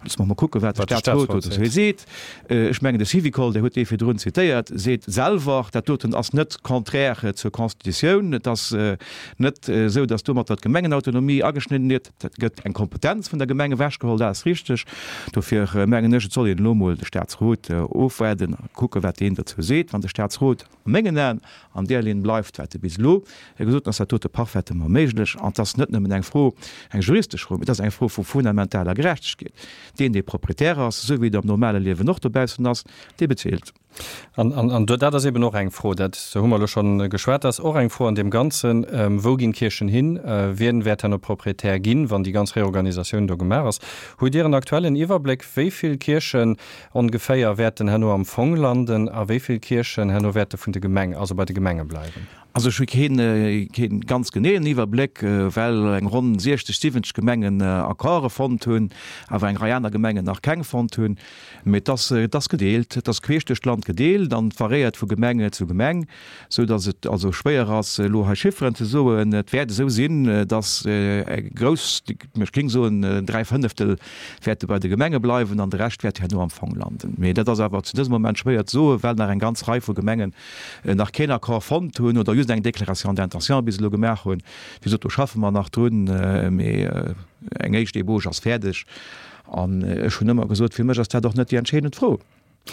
Loosse mer mol kucken, wat de Statsrot dozou seet. Ech mengen, de Syvicol, Dir hutt dee virdrun zitéiert, seet selwer, dat doten ass net contraire zur Constitutioun. Et ass net esou, datt domatter d'Gemengenautonomie ageschnidden gëtt. Et gëtt eng Kompetenz vun der Gemeng ewechgeholl, dat ass richteg. Dofir mengen ech, et soll een elo mol de Statsrot ofwaarden a kucken, wat deen dozou seet. Wann de Statsrot a mengen Aen an där Linn bleift, wat e bis elo gesot huet, ass dat dote parfaitement méiglech. An et ass net nëmmen eng Fro, eng juristesch Fro, mee et ass eng Fro vu fundamentaler Gerechtegkeet. Deen, dee Proprietär ass, esou wéi et am normale Liewen och dobaussen ass, dee bezilt. An dat ass eben och eng Fro, dat hu mer elo schonn geschwat, dat ass och eng Fro an deem Ganzen, Wou ginn d'Kierchen hin? Wien wäert herno Proprietär ginn, wann déi ganz Reorganisatioun do gemaach ass? Hutt Dir en aktuellen Iwwerbléck, wéi vill Kierchen ongeféier wäerten herno am Fong landen a wéi vill Kierchen herno wäerte vun de Gemeng, also bei de Gemenge bleiwen? Also ech hu keen, keen ganz geneeën Iwwerbléck, well eng ronn 60, 70 Gemengen Accorde fonnt hunn, awer eng Rei aner Gemengen nach keng fonnt hunn. Mee et ass, et ass gedeelt, et ass queesch duerch d'Land gedeelt an et variéiert vu Gemeng zu Gemeng, esou datt et also schwéier ass, elo hei Chifferen ze soen. Et wäert esou sinn, datt eng grouss, ech géing soen 3 Fënneftel wäerte bei de Gemenge bleiwen an de Rescht wäert herno am Fong landen. Mee dat ass awer zu dësem Moment schwéier ze soen, well nach eng ganz Rei vu Gemengen nach keen Accord fonnt hunn oder just eng Déclaration d'intention bis elo gemaach hunn. Wéi gesot, do schaffe mer nach drun, mee eng éischt Ébauche ass fäerdeg. An ech hunn ëmmer gesot, fir mech ass dat och net déi entscheedend Fro.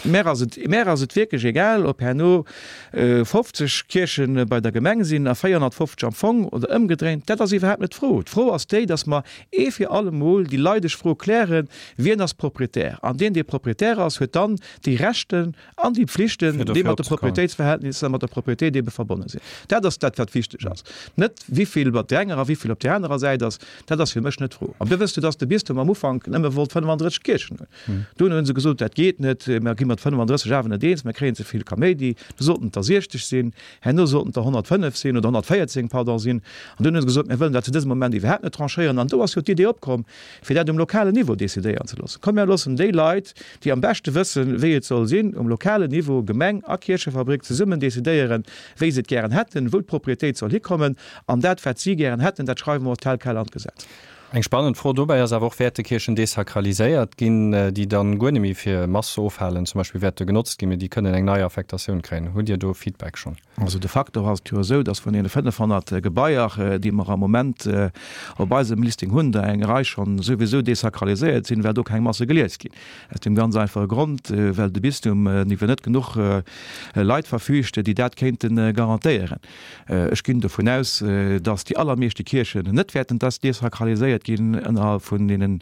Mär ass et, mär ass et wierklech egal, ob herno 50 Kierche bei der Gemeng sinn a 450 am Fong oder ëmgedréint. Dat ass iwwerhaapt net d'Fro. D'Fro ass déi, datt mer ee fir alle Mol déi leideg Fro klären, Wien ass Proprietär? An deen, dee Proprietär ass, huet dann déi Rechte an déi Pflichten, déi mat de Propriétéitsverhältnisser, mat der Propriétéit ebe verbonne sinn. Dat ass dat, wat wichteg ass. Net wivill op där enger a wivill op där anerer Säit ass, dat ass fir mech net d'Fro. An du wësst jo, dass de Bistum am Ufank nëmme wollt 35 Kierchen hunn. Dunn hu se gesot, dat geet net, mer gi mat 35 awer net eens, mer kréien ze vill Kaméidi. Du sollten et der 60 sinn, herno sollten et der 105 sinn oder 114, pardon, sinn. An dunn hu se gesot, mir wëllen dat zu dësem Moment iwwerhaapt net tranchéieren. An do ass jo d'Idee opkomm, fir dat um lokalen Niveau decidéieren ze loossen. Komm, mir loossen déi Leit, déi am beschte wëssen, wéi et soll sinn, um lokalen Niveau, Gemeng a Kierchefabrik, zesummen decidéieren, wéi se et gären hätten, wou d'Propriétéit soll hikommen. An dat, wat si gären hätten, dat schreiwe mer tel quel an d'Gesetz. Eng spannend Fro dobäi ass awer och, Wäerte Kierchen desakraliséiert ginn, déi dann guer net méi fir Mass ofhalen zum Beispill wäerte genotzt ginn, mee déi kënnen eng nei Affektatioun kréien? Hutt Dir do Feedback schonn? Also de facto ass et jo esou, datt vun deene 500 Gebaier, déi mer am Moment op eisem Listing hunn, der eng Rei schonn souwisou desakraliséiert sinn, well do keng Masse gelies ginn. Aus deem ganz einfache Grond, well de Bistum iwwer net genuch Leit verfügt, déi dat kéinte garantéieren. Ech ginn dovun aus, datt déi allermeeschte Kierchen net wäerten desakraliséiert ginn ënnerhalb vun deenen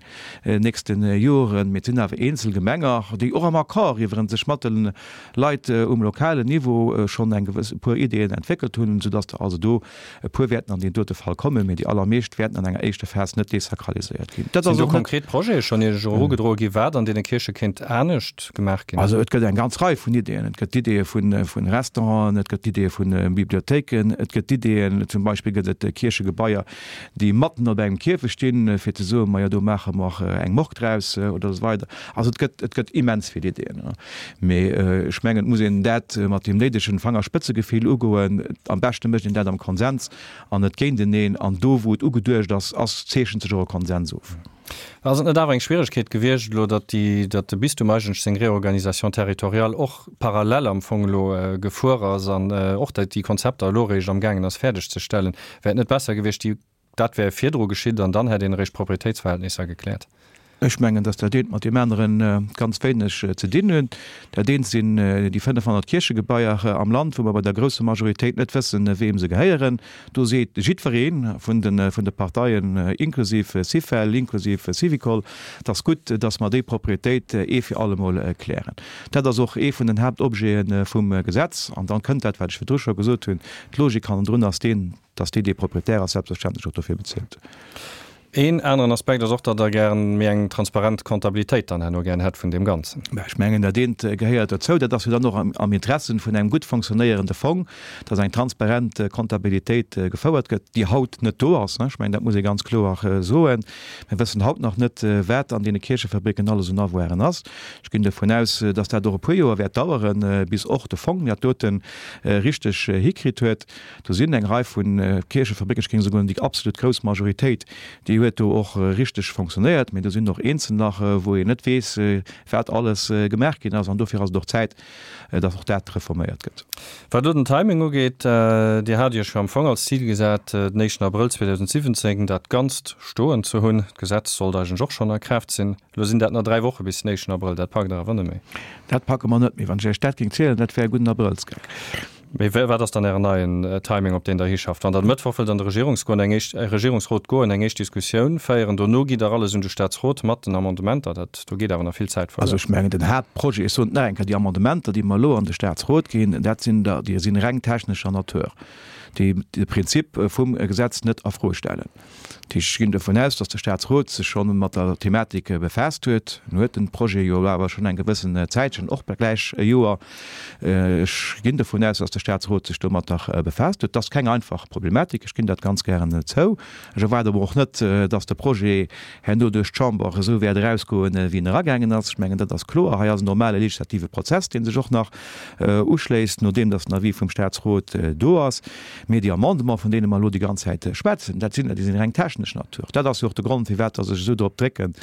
nächste Joren. Mee et sinn awer eenzel Gemenger, déi och am Accord iwwerens sech mat de Leit um lokalen Niveau schonn eng gewëss, e puer Ideeën entwéckelt hunn, soudass der also do e puer wäerten an deen dote Fall kommen, mee déi allermeescht wäerten an enger éischter Phas net desakraliséiert ginn. Dat ass och net. Sinn do konkret Projete schonn Iech erugedroe gi wat an deene Kierche kéint anescht gemaach ginn? Also et gëtt eng ganz Rei vun Ideeën. Et gëtt Ideeë vu Restauranten, et gëtt Ideeë vu Bibliothéiken, et gëtt Ideeën, zum Beispill gëtt et Kierchegebaier, déi matten op engem Kierfecht stinn, fir ze soen, majo do maache mer eng Morgue draus oder esou weider. Also et gëtt, et gëtt immens vill Ideeën. Mee ech mengen, et muss een dat mat deem néidegen Fangerspëtzegefill ugoen. Am beschte mécht een dat am Konsens an net géinteneen. An do, wou et ugeduecht ass, ass, zeechent sech och e Konsens of. Ass et net awer eng Schwieregkeet gewiescht elo, datt déi, datt de Bistum eigentlech seng Réorganisation territoriale och parallel am Fong elo gefuer ass an och déi Konzepter elo eréischt amgaangen ass fäerdegzestellen? Wär et net besser gewiescht, déi, dat wär virdru geschitt an dann hätt een eréischt d'Proprietéitsverhältnisser gekläert? Ech mengen, datt dat eent mat deem anere ganz wéineg ze dinn huet. Dat eent sinn déi 500 Kierchegebaier am Land, wou mer bei der grousser Majoritéit net wëssen, weem se gehéieren. Do seet jiddweree vun de Parteien, inklusiv Syfel, inklusiv Syvicol, et ass gutt, datt mer déi Proprietéit ee fir allemol klären. Dat ass och ee vun den Haaptobjete vum Gesetz. An dann kënnt dat, wat ech virdru scho gesot hunn, D'Logik hannendrun ass deen, dass deen, dee Proprietär ass, selbstverständlech och dofir bezilt. Een aneren Aspekt ass och, datt Der gären méi eng transparent Comptabilitéit dann herno gären hätt vun deem Ganzen. Mä ech mengen, dat eent gehéiert dozou. Dat ass jo dann och am Interessen vun engem gutt fonctionnéierende Fong, datt eng transparent Comptabilitéit gefouert gëtt, déi haut net do ass. Ech mengen, dat muss ee ganz kloer soen. Mir wëssen haut nach net, wat an deene Kierchefabricken alles un Avoiren ass. Ech ginn dovun aus, datt dat och e puer Joer wäert daueren, bis och de Fong dat dote richteg hikritt huet. Do sinn eng Rei vu Kierchefabricken, ech géing esouguer déi absolut grouss Majoritéit, déi huet do och richteg fonctionnéiert. Mee do sinn och eenzel nach, wou een net weess, wat alles gemaach ginn ass. An dofir ass et och Zäit, datt och dat reforméiert gëtt. Wat elo den Timing ugeet, Dir hat Iech jo am Fong als Zil gesat, den éischten Abrëll 2017 dat Ganzt stoen ze hunn. D'Gesetz sollt eigentlech och schonn a Kraaft sinn. Elo sinn dat nach 3 Woche bis den éischten Abrëll. Dat packt Der awer net méi. Dat packe mer net méi. Wann ech Iech dat géing zielen, dat wär e gudden Abrëllsgeck. Mee wat ass dann Ären neien Timing, op deen Der hischafft? Wann Der de Mëttwoch wëllt an de Regierungsgoen, eng éischt, Regierungsrot goen, eng éischt Diskussioun féieren, dono gitt Der alles un de Staatsrot mat den Amendementer. Dat, do geet awer nach vill Zäit verluer. Also ech mengen, den Haaptprojet, ech soen et nach eng Kéier, déi Amendementer, déi mer elo an de Staatsrot ginn, dat sinn der, déi sinn reng technescher Natur, déi de Prinzip vum Gesetz net a Fro stellen. Dat heescht, ech ginn dovun aus, datt de Staatsrot sech scho mat der Thematik befaasst huet. En huet den Projet jo awer schonn eng gewëssen Zäitchen, och gläich e Joer. Ech ginn dovun aus, datt de Staatsrot sech domatter befaasst huet. Et ass keng einfach Problematik, ech ginn dat ganz gären zou. Ech erwaarde awer och net, datt de Projet herno duerch d'Chamber esou wäert erausgoen, wéi en eragaangen ass. Ech mengen, dat ass kloer. Hei ass en normale legislative Prozess, dee sech och nach uschléisst, nodeem datt den Avis vum Staatsrot do ass. Mee déi Amendements, vun deene mer elo déi ganz Zäit schwätzen, dat sinn der, déi sinn reng technesch Natur. Dat ass jo och de Grond, firwat dass ech esou drop drécken,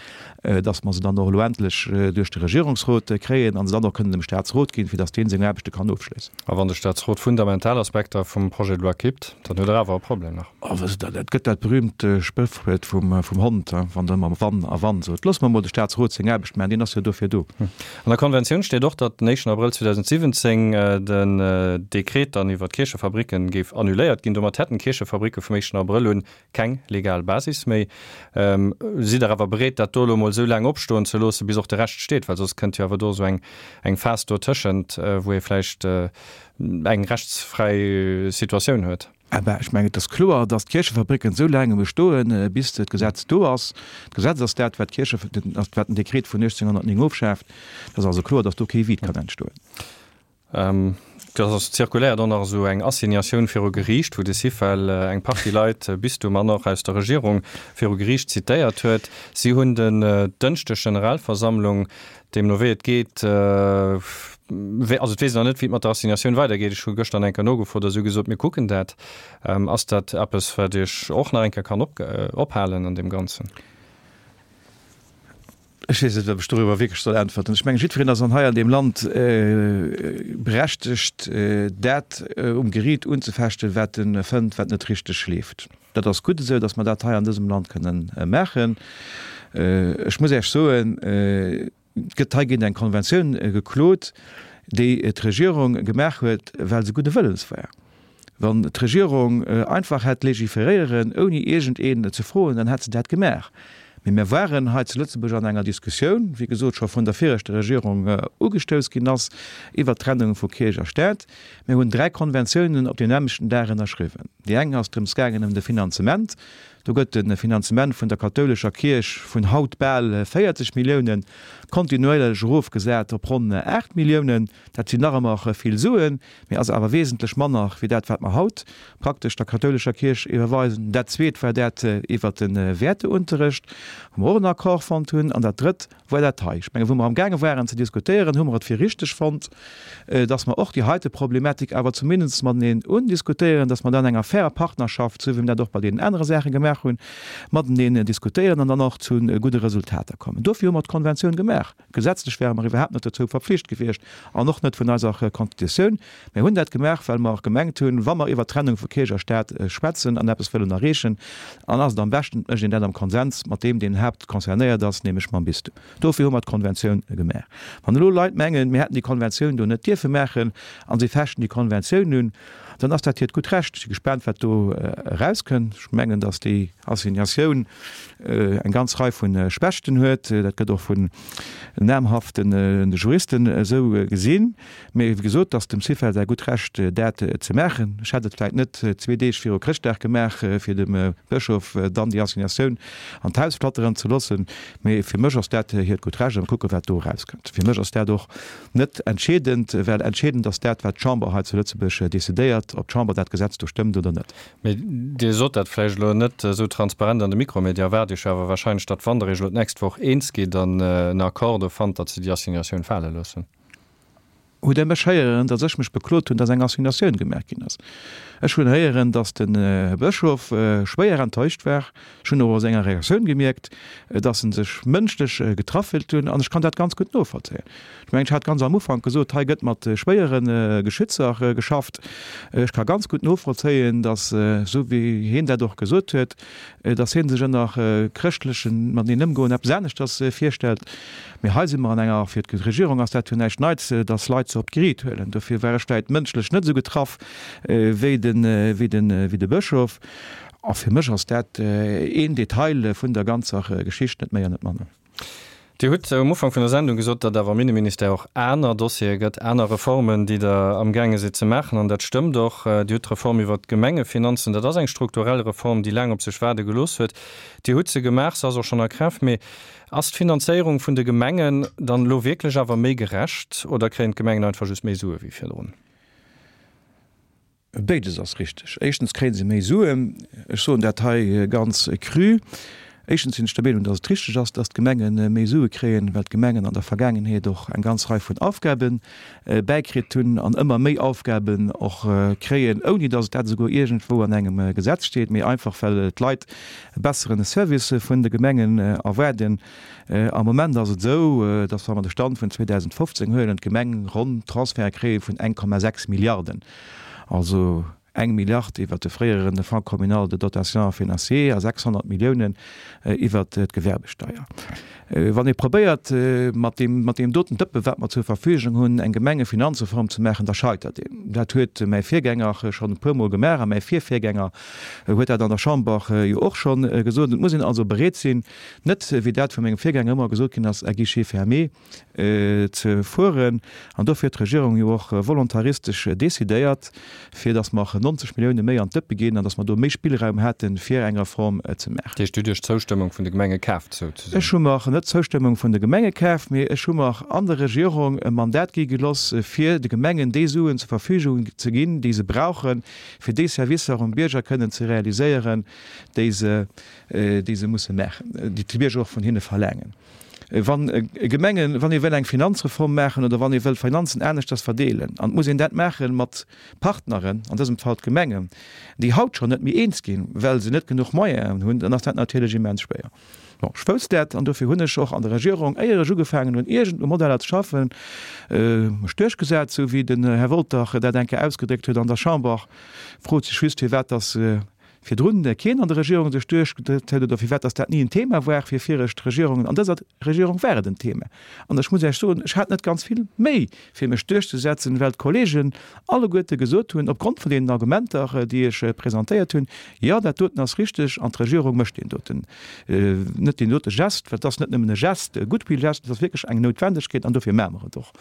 dass mer se dann och elo endlech duerch de Regierungsrot kréien a se dann och kënnen dem Statsrot ginn, fir dass dee seng Aarbechte kann ofschléissen. A wann de Statsrot fundamental Aspekter vum Projet de loi kippt, dann huet Der awer e Problem nach. Oh, wësst Der, dat gëtt dat berühmt Spréchwuert vum Hond, wann Der ëmmer wann a wann sot. Loosse mer emol de Statsrot seng Aarbecht maachen, deen ass jo dofir do. An der Konventioun steet och, datt den éischten Abrëll 2017 den Dekret dann iwwer d'Kierchefabricken géif annuléiert ginn. Domat hätten d'Kierchefabricke vum éischten Abrëll un keng legal Basis méi. Sidd Der awer bereet, dat do elo emol esou laang opstoen ze loossen, bis och de Rescht steet? Well soss kënnt jo awer do esou eng eng Phas dotëschent, wou ee vläicht eng rechtsfräi Situatioun huet. Eh ben, ech mengen, et ass kloer, dass d'Kierchefabricken esou laang bestoen, bis d'Gesetz do ass. D'Gesetz ass dat, wat d'Kierche, wat den Dekret vun 1809 ofschaaft. Et ass also kloer, dass do kee Vide kann entstoen. Et ass zirkuléiert och nach esou eng Assignatioun viru Geriicht, wou de Syfel eng Partie Leit, Bistum an och aus der Regierung, viru Geriicht zitéiert huet. Si hunn den Dënschdeg Generalversammlung. Deemno wéi et geet, also et weess een nach net, wéi et mat der Assignatioun weidergeet. Ech hu gëschter nach eng Kéier nogefrot a si hu gesot, mir kucken dat. Ass dat eppes, wat Iech och nach eng Kéier kann ophalen an deem Ganzen? Ech weess net, ob ech doriwwer wierklech soll äntwerten. Ech mengen, jiddwereen ass an hei an deem Land berechtegt, dat um Geriit unzefechten, wat e fënnt, wat net richteg leeft. Dat ass gutt esou, datt mer dat hei an dësem Land kënnen maachen. Ech muss Iech soen, et gëtt hei géint eng Konventioun geklot, déi d'Regierung gemaach huet, well se gudde Wëllens war. Wann d'Regierung einfach hätt légiféréieren, ouni iergendeen ze froen, dann hätt se dat gemaach. Mee mir waren hei zu Lëtzebuerg an enger Diskussioun, wéi gesot scho vun der viregter Regierung ugestouss ginn ass, iwwert d'Trennung vu Kierch a Staat. Mir hunn 3 Konventiounen op deem nämmlechten Dag ënnerschriwwen. Déi eng ass drëms gaangen ëm de Finanzement. Do gëtt de Finanzement vun der kathoulescher Kierch vun haut bal 40 Milliounen kontinuéierlech erofgesat op ronn 8 Milliounen. Dat sinn nach ëmmer vill Suen, mee ass awer wesentlech manner wéi dat, wat mer haut praktesch der kathoulescher Kierch iwwerweisen. Dat zweet war dat iwwert de Wäerteunterrecht, wou mer och en Accord fonnt hunn. An dat drëtt War dat hei. Ech mengen, wou mer amgaange waren ze diskutéieren, hu mer et fir richteg fonnt, dass mer och déi heite Problematik awer zumindest mateneen undiskutéieren, dass mer dat an enger fairer Partnerschaft, esou wéi mer dat och bei deenen anere Saache gemaach hunn, mateneen diskutéieren an dann och zu gudde Resultater kommen. Dofir hu mer d'Konventioun gemaach. Gesetzlech ware mer iwwerhaapt net dozou verpflicht gewiescht an och net vun eiser Constitutioun. Mir hunn dat gemaach, well mer gemengt hunn, wa mer iwwert d'Trennung vu Kierch a Staat schwätzen an eppes wëllen erreechen, an ass et am beschten, et mécht een dat am Konsens mat deem, deen haapt concernéiert ass, nämlech mam Bistum. Dofir hu mer d'Konventioun gemaach. Wann elo Leit mengen, mir hätten déi Konventioun do net dierfe maachen a si fechten déi Konventioun un, Dann ass dat hiert gutt Recht. Ech si gespaant, wat do erauskënn. Ech mengen, datt déi Assignatioun eng ganz Rei vu Schwächten huet. Dat gëtt och vun namhafte Juristen esou gesinn. Mee wéi gesot, et ass dem Syfel säi gutt Recht, dat ze maachen. Ech hätt et vläicht net zwee Deeg viru Chrëschtdag gemaach, fir dem Bëschof dann déi Assignatioun an d'Haus flatteren ze loossen. Mee fir mech ass dat hiert gutt Recht a mir kucken, wat do erauskënnt. Fir mech ass dat och net entscheedend, well entscheedend ass dat, wat d'Chamber hei zu Lëtzebuerg decidéiert, ob d'Chamber dat Gesetz do stëmmt oder net. Mee Dir sot dat vläicht elo net esou transparent an de Mikro, mee Dir erwaart Iech awer wahrscheinlech, datt wann Der Iech elo d'nächst Woch eens gitt an en Accord do fannt, datt se déi Assignatioun fale loossen. Hutt Der mech héieren, datt ech mech beklot hunn, datt eng Assignatioun gemaach ginn ass? Ech hunn héieren, datt den Här Bëschof schwéier enttäuscht war. Ech hunn och a senger Reaktioun gemierkt, datt en sech mënschlech getraff fillt hunn, an ech kann dat ganz gutt novollzéien. Ech mengen, ech hat ganz am Ufank gesot, hei gëtt mat schwéiere Geschützer geschafft. Ech ka ganz gutt novollzéien, datt, esou wéi hien dat och gesot huet, datt hie sech ënner chrëschtlechem mateneen ëmgoen eppes aneschters virstellt. Mee hei si mer an enger, fir d'Regierung ass dat jo näischt Neits, datt Leit se op d'Geriit huelen. Dofir war ech vläicht mënschlech net esou getraff wéi de Bëschof. A fir mech ass dat een Detail vun der ganzer Geschicht, net méi an net manner. Dir hutt um Ufank vun der Sendung gesot, datt awer am Inneministère och aner Dossiere gëtt, aner Reformen, déi Der amgaange sidd ze maachen. An dat stëmmt och. Dir hutt d'Reform iwwert d'Gemengefinanzen, dat ass eng strukturell Reform, déi laang op sech waarde gelooss huet. Dir hutt se gemaach, se ass och schonn a Kraaft. Mee ass d'Finanzéierung vun de Gemengen dann elo wierklech awer méi gerecht oder kréien d'Gemengen einfach just méi Sue wéi virdrun? Béides ass richteg. Éischtens kréie se méi Suen. Ech soen dat hei ganz cru. Éischtens sinn ech der Meenung, datt et richteg ass, datt d'Gemenge méi Sue kréien, well d'Gemengen an der Vergaangenheet och eng ganz Rei vun Aufgabe bäikritt hunn an ëmmer méi Aufgaben och kréien, ouni datt et dat esouguer iergendwou an engem Gesetz steet, mee einfach well d'Leit e bessere Service vun de Gemengen erwaarden. Am Moment ass et esou, datt, wa mer de Stand vun 2015 huelen, d'Gemeng ronn Transferte kréie vun 1,6 Milliarden. Also eng Milliard iwwert de fréieren Fonds communal de dotation financier a 600 Milliounen iwwert d'Gewerbesteier. Wann ee probéiert, mat deem, mat deem doten Dëppe wat mer zur Verfügung hunn, eng Gemengefinanzreform ze maachen, da scheitert een. Dat huet mäi Virgänger schonn e puermol gemaach a mäi Virvirgänger huet dat an der Chamber jo och scho gesot. Et muss een also bereet sinn, net, wéi dat vu mengem Virgänger ëmmer gesot ginn ass, à guichet fermé, ze fueren. An dofir huet d'Regierung jo och volontaristesch decidéiert, fir datt mer 90 Millioune méi an d'Dëppe ginn an datt mer do méi Spillraum haten, fir eng Reform ze maachen. Dat heescht, Dir hutt Iech d'Zoustëmmung vun de Gemenge kaaft, souzesoen? Ech hu mer net d'Zoustëmmung vun de Gemenge kaaft, mee ech hu mer an der Regierung e Mandat gi geloss, fir de Gemengen déi Suen zur Verfügung ze ginn, déi se brauchen, fir déi Servicer um Bierger kënnen ze realiséieren, déi se, déi se musse maachen, déi d'Bierger och vun hinne verlaangen. Wann Gemengen, wann ee wëll eng Finanzreform maachen oder wann ee wëll Finanzen aneschters verdeelen, an et muss een dat maache mat Partneren, an dësem Fall d'Gemengen, déi haut schonn net méi eens ginn, well se net genuch Moyenen hunn, dann ass dat natierlech immens schwéier. Bon, ech wousst dat an dofir hunn ech och an der Regierung, éier ech ugefaangen hunn, iergend u Modeller ze schaffen, mech duerchgesat, esou wéi den Här Wolter dat eng Kéier ausgedréckt huet an der Chamber. Frot sech just, firwat dass virdrun keen an der Regierung sech duerchgedréckt huet oder firwat dass dat ni en Thema war fir viregt Regierungen. An dëser Regierung war et en Thema. An ech muss Iech soen, ech hat net ganz vill Méi fir mech duerchzesetzen, well d'Kollegen alleguerte gesot hunn, opgrond vun deenen Argumenter, déi ech presentéiert hunn, Jo, dat doten ass richteg an d'Regierung mécht deen doten, net deen dote Gest, well et ass net nëmmen e Gest, e Goodwill-Gest, et ass wierklech eng Noutwendegkeet an dofir maache mer et och.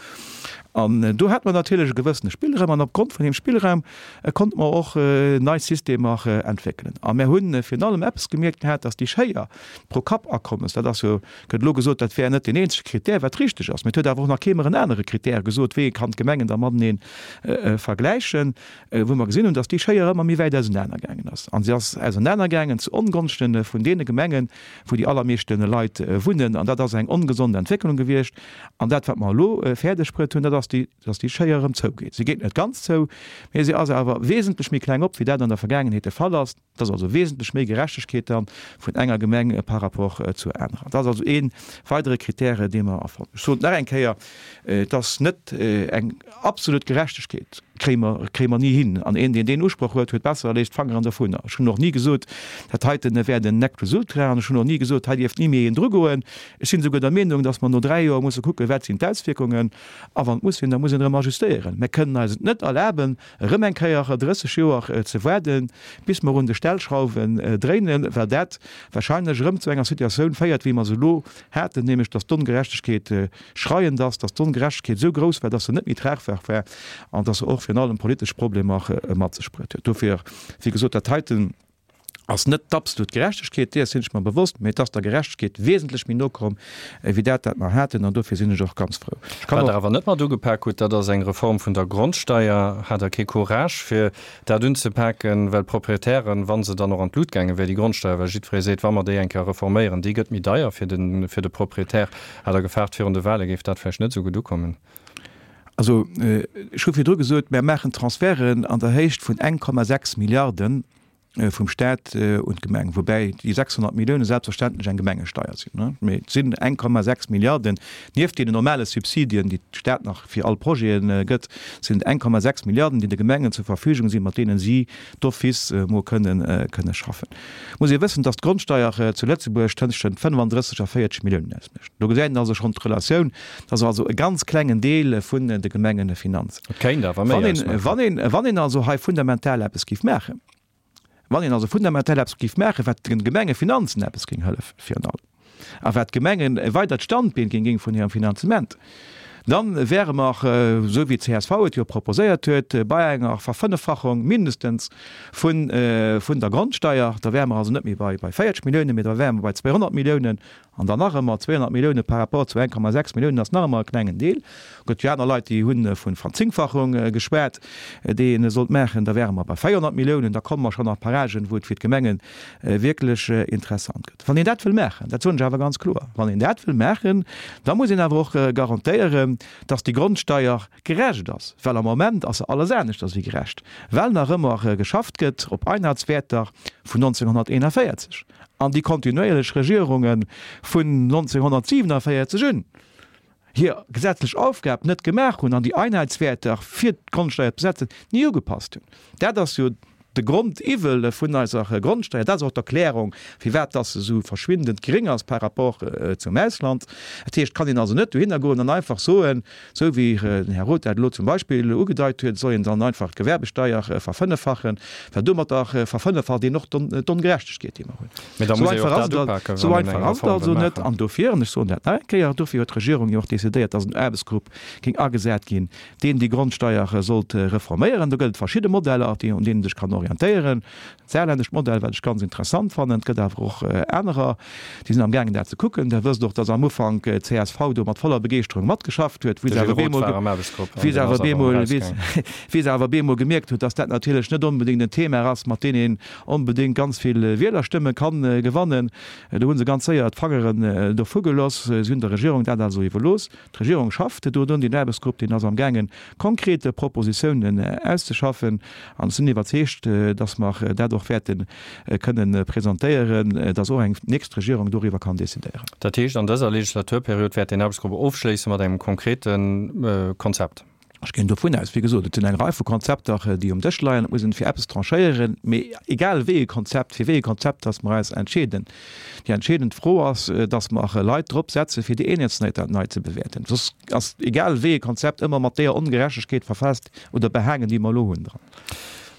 An do hat mer natierlech e gewëssene Spillraum an opgrond vun deem Spillraum konnte mer och nei Systemer entwéckelen. A mär hu virun allem eppes gemierkt gehat, dass déi Schéier pro-Kapp-Akommes, dat ass jo, gëtt elo gesot, dat wär net deen eenzege Krittär, wat richteg ass, mee et huet awer och nach kee mer en anere Krittär gesot, wéi ee kann d'Gemengen da matenee vergläichen, wou mer gesinn hunn, dass déi Schéier ëmmer méi wäit ausenaner gaangen ass. A se ass ausenaner gaangen zu Ongonschte vun deene Gemengen, wou déi allermeeschte Leit wunnen. An dat ass eng ongesond Entwécklung gewiescht. An dat, wat mer elo fäerdeg bruet hunn, dat ass déi, dass déi Schéier erëm zougeet. Se geet net ganz zou, mee se ass awer wesentlech méi kleng op, wéi dat an der Vergaangenheet de Fall ass. Dat ass also wesentlech méi Gerechtegkeet da vun enger Gemeng par rapport zur anerer. Dat ass also ee weidere Kritäre, dee mer erfonnt. Ech soen et nach eng Kéier, Et ass net eng absolut Gerechtegkeet, kréie mer, kréie mer ni hin. An een, deen deen Usproch huet, huet besser, e léisst d'Fangeren dovunner. Ech hunn och ni gesot, dat heiten wär den Nec plus ultra. An ech hunn och ni gesot, hei dierft ni méi een drugoen. Ech sinn esouguer der Meenung, datt mer no 3 Joer musse kucken, wat sinn d'Auswierkungen. A wann et muss sinn, da muss een erëm ajustéieren. Mer kënnen eis et net erlaben, erëm eng Kéier 30 Joer ze waarden, bis mer un de Stellschrauwen dréinen, well dat wahrscheinlech erëm zu enger Situatioun féiert, wéi mer se elo haten, nämlech datt d'Ongerechtegkeet schreiend ass, datt d'Ongerechtegkeet esou grouss war, datt se net méi tragbar war an datt se och virun allem politesch Problemer mat sech bruet huet. Dofir, wéi gesot, dat heiten ass net d'absolut Gerechtegkeet, deeër sinn ech mer bewosst, mee et ass der Gerechtegkeet wesentlech méi no komm wéi dat, wat mer haten, an dofir sinn ech och ganz frou. Ech kann Wat Der awer net mat ugepak hutt, dat ass eng Reform vun der Grondsteier. Hat Der kee Courage, fir dat unzepaken, well d'Proprietären, wa se dann och an d'Lut gaange wär, déi Grondsteier, well jiddweree seet, wa mer déi eng Kéier reforméieren, déi gëtt méi deier fir de, fir de Proprietär. Hat Der gefaart, virun de Wahle géif dat vläicht net esou gutt ukommen? Also, ech hu virdru gesot, mer maachen Transferten an der Héicht vun 1,6 Milliarden vum Staat un d'Gemeng, woubäi déi 600 Millioune selbstverständlech eng Gemengesteier sinn. Mee et sinn 1,6 Milliarden, nieft deenen normale Subsidien, déi de Staat nach fir all Projete gëtt, sinn et 1,6 Milliarden, déi de Gemengen zur Verfügung sinn, mat deene si d'office mol kënnen kënne schaffen. Muss ee wëssen, datt d'Grondsteier zu Lëtzebuerg tëschent 35 a 40 Milliounen ausmécht. Do gesäit een also schonn d'Relatioun. Dat ass also e ganz klengen Deel vun de Gemengefinanzen. Et kéint awer méi ausmaachen. Wann een, wann een also hei fundamental eppes géif maachen, wann een also fundamental eppes géif maachen, wat de Gemengefinanzen eppes géing hëllefen virun allem, a wat d'Gemengen e weidert Standbeen géing ginn vun hirem Finanzement, da wäre mer, esou wéi d'CSV et jo proposéiert huet, bei enger Verfënneffachung mindestens vun, vun der Grondsteier. Da wäre mer also net méi bei, bei 40 Milliounen, mee da wäre mer bei 200 Milliounen. An dann nach ëmmer, 200 Millioune par rapport zu 1,6 Milliounen ass nach ëmmer e klengen Deel. Gëtt jo aner Leit, déi hu vu Verzéngfachung geschwat, déi ee sollt maachen. Da wäre mer bei 400 Milliounen. Da komme mer schonn a Paragen, wou et fir d'Gemenge wierklech interessant gëtt. Wann een dat wëll maachen, dat soen ech awer ganz kloer, wann een dat wëll maachen, da muss een awer och garantéieren, dass déi Grondsteier gerecht ass, well am Moment ass se alles aneschters wéi gerecht, well nach ëmmer geschafft gëtt op Einheitswäerter vun 1941. An déi kontinuéierlech Regierunge vun 1947 un hir gesetzlech Aufgab net gemaach hunn an déi Einheitswäerter fir d'Grondsteier ze setzen ni ugepasst hunn. Dat ass jo de Grondiwwel vun eiser Grondsteier. Dat ass och d'Erklärung, firwat dass se esou verschwindend gering ass par rapport zum Ausland. Dat heescht, et kann een also net dohinner goen an einfach soen, Esou wéi den Här Roth dat elo zum Beispill ugedeit huet, soll een dann einfach d'Gewerbesteier verfënneffachen, well domatter verfënneffacht een och d'Ongerechtegkeet, déi mer hunn. Mee da muss ee jo och dat upaken, wann een eng Reform wëll maachen. An dofir, an ech soen dat nach eng Kéier, dofir huet d'Regierung jo och decidéiert, dass en Aarbechtsgrupp géing agesat ginn, deen déi Grondsteier sollt reforméieren. Do gëtt et verschidde Modeller, un deenen ee sech kann orientéieren. D'saarländescht Modell, wat ech ganz interessant fannen, et gëtt awer och anerer, déi sinn am gaangen dat ze kucken. Der wësst och, datt am Ufank d'CSV do mat voller Begeeschterung matgeschafft huet, wéi se awer bemol, wéi se awer bemol, wéi se awer bemol gemierkt huet, datt dat natierlech net onbedéngt en Thema ass, mat deem een onbedéngt ganz vill Wielerstëmme kann gewannen. Do hu se ganz séier d'Fangeren dovu geloss. Si hunn der Regierung dat also iwwerlooss. D'Regierung schafft do drun, deen Aarbechtsgrupp, deen ass amgaangen, konkret Propositiounen auszeschaffen. An ech sinn iwwerzeegt, dass mer dat och wäerte kënnen presentéieren, dass och eng nächst Regierung doriwwer kann decidéieren. Dat heescht, an dëser Legislaturperiod wäert deen Aarbechtsgrupp ofschléisse mat engem konkrete Konzept? Ech ginn dovun aus. Wéi gesot, et sinn eng Rei vu Konzepter, déi um Dësch leien. Et muss een fir eppes tranchéieren. Mee egal wéi ee Konzept, fir wéi ee Konzept dass mer eis entscheeden, déi entscheedend Fro ass, dass mer Leit drop setzen, fir déi Eenheetsnote nei ze bewäerten. Soss ass egal wéi ee Konzept ëmmer mat deeër Ongerechtegkeet verfaasst oder behaangen, déi mer elo hunn, dran.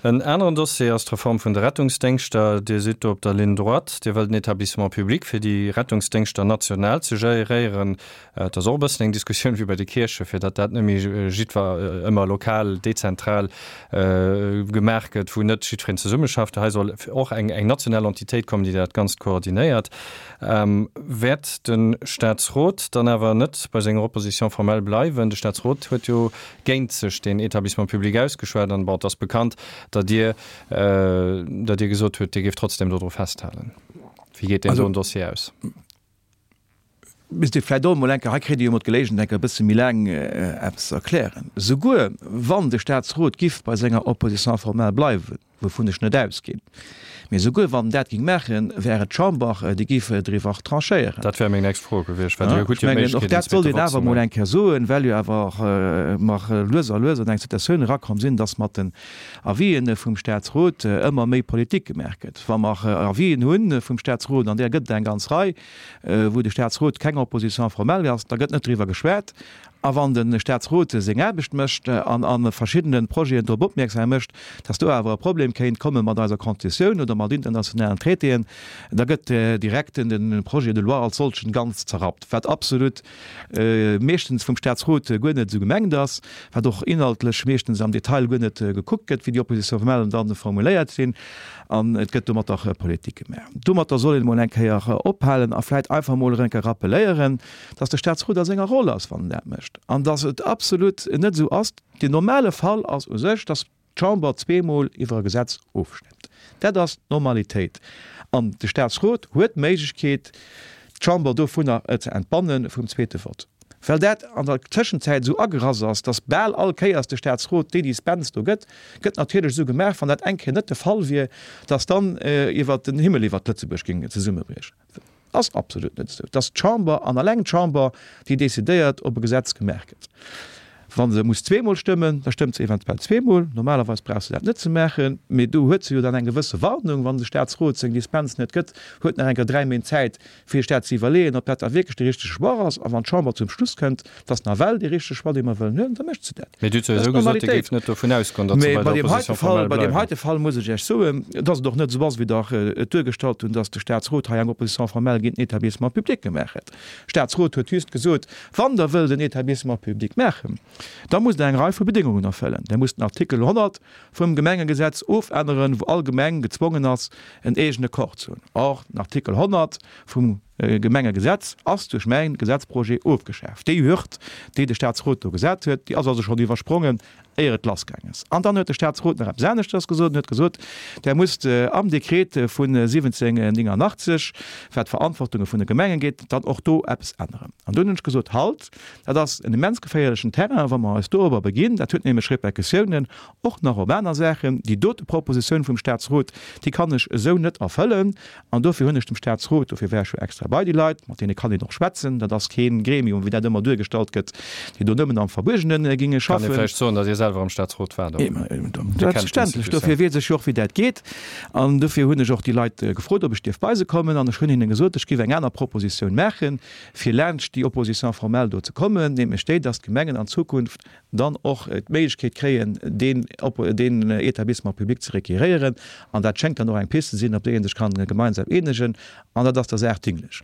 En aneren Dossier ass d'Reform vun de Rettungsdéngschter. Dir sidd do op der Ligne droite. Dir wëllt en Établissement public fir déi Rettungsdéngschter national ze geréieren. Et ass och e bëssen eng Diskussioun wéi bei de Kierchen, fir datt dat net méi jiddwer ëmmer lokal, dezentral gemaach gëtt, wou net jiddwereen zesummeschafft. Hei soll och eng eng national Entitéit kommen, déi dat Ganzt koordinéiert. Wäert de Statsrot dann awer net bei senger Opposition formelle bleiwen? De Statsrot huet jo géint sech deen Établissement public ausgeschwat an, bon, et ass bekannt, datt Dir, datt Dir gesot hutt, Dir géift trotzdem dodru festhalen. Wéi geet deen doen Dossier aus? Misst ee vläicht och emol eng Kéier, hei kritt Dir jo emol d'Geléigenheet, eng Kéier e bësse méi laang eppes ze erklären. Souguer wann de Statsrot giff bei senger Opposition formelle bleiwen, Wouvun ech net ausginn. Mee esouguer wann en dat géing maachen, wär et d'Chamber, déi géif driwwer tranchéieren. Dat wär meng nächst Fro gewiescht, well Dir hutt jo d'Méiglechkeet, en zweete Vott ze maachen. Och dat sollt een awer emol eng Kéier soen, well jo awer mer lues a lues an eng Situatioun erakomm sinn, dass mat den Avisen vum Statsrot ëmmer méi Politik gemaach gëtt. Wa mer Avisen hu vum Statsrot, an där gëtt et eng ganz Rei, wou de Statsrot keng Opposition formelle ass, da gëtt net driwwer geschwat. A wann de Statsrot seng Aarbecht mécht an a verschiddene Projeten drop opmierksam mécht, dass do awer e Problem kéint komme mat eiser Constitutioun oder mat internationalen Traitéen, da gëtt direkt de Projet de loi als solchen ganz zerrappt, wat absolut meeschtens vum Statsrot guer net esou gemengt ass, wat och inhaltlech meeschtens am Detail guer net gekuckt gëtt, wéi déi Opposition formellen dann formuléiert sinn. An et gëtt domatter Politik gemaach. Domatter soll een emol eng Kéier ophalen a vläicht einfach emol erëm eng Kéier rappeléieren, dass de Statsrot a senger Roll ass, wann en dat mécht, an dass et absolut net esou ass, den normale Fall ass u sech, dass d'Chamber zweemol iwwer e Gesetz ofstemmt. Dat ass d'Normalitéit. An de Statsrot huet d'Méiglechkeet, d'Chamber dovunner ze entbanne vum zweete Vott. Well dat an der Tëschenzäit esou agerass ass, dass bal all Kéiers de Statsrot déi Dispens do gëtt, gëtt natierlech esou gemaach, wann dat eng Kéier net de Fall wier, dass dann iwwer den Himmel iwwert Lëtzebuerg géing zesummebriechen. Ass absolut net esou. Et ass d'Chamber an alleng d'Chamber, déi decidéiert, ob e Gesetz gemaach gëtt. Wa se muss zweemol stëmmen, da stëmmt se eventuell zweemol. Normalerweis brauch se dat net ze maachen, mee do huet se jo dann eng gewësse Warnung, wann de Statsrot seng Dispens net gëtt, huet nach eng Kéier 3 Méint Zäit, fir sech dat ze iwwerleeën, ob dat da wierklech de richtege Choix ass. A wann d'Chamber zum Schluss kënnt, et ass nawell dee richtege Choix, dee mer wëllen huelen, da mécht se dat. Mee Dir hutt souwisou gesot, Dir géift net dovun ausgoen, datt se bei der Opposition formelle bleiwen. Bei deem heite Fall muss ech Iech soen, datt et och net esou ass, wéi Der et duergestallt hunn, datt de Statsrot hei eng Opposition formelle géint den Établissement public gemaach hätt. Statsrot huet just gesot, Wann Der wëllt en Établissement public maachen, da musst Der eng Rei vu Bedéngungen erfëllen. Der musst den Artikel 100 vum Gemengegesetz ofänneren, wou all Gemeng gezwongen ass, en eegene Corps ze hunn. Or, den Artikel 100 vum Gemengegesetz ass duerch mäin Gesetzprojet ofgeschaaft. Déi Hürd, déi de Statsrot do gesat huet, déi ass also schonn iwwersprongen, éier et lassgaang ass. An dann huet de Statsrot nach eppes aneschters gesot. En huet gesot, Der musst am Dekret vun 1789, wat d'Verantwortunge vun de Gemengen geet, dann och do eppes änneren. An dunn hunn ech gesot, Halt, dat ass en immens geféierlechen Terrain, wa mer eis dorobber beginn. Dat huet nämlech Répercussiounen och nach op aner Saachen. Déi dote Propositioun vum Statsrot, déi kann ech esou net erfëllen. An dofir hunn ech dem Statsrot, dofir war ech jo extra bei déi Leit, mat deene kann een och schwätzen, dat ass kee Gremium, wéi dat ëmmer duergestallt gëtt, déi do nëmmen am Verbuergene ginge schaffen. Kann ee vläicht soen, datt Dir selwer am Statsrot waart och? Selbstverständlech, dofir weess ech jo och, wéi dat geet. An dofir hunn ech och déi Leit gefrot, ob ech dierf bei se kommen. An ech hunn hinne gesot, ech géif eng aner Propositioun maachen, fir laanscht déi Opposition formelle do ze kommen, nämlech déi, datt d'Gemengen an Zukunft dann och d'Méiglechkeet kréien, deen deen Établissement public ze requéréieren. An dat schéngt dann och eng Piste ze sinn, op déi ee sech kann gemeinsam eenegen. An dat ass der Saach dinglech.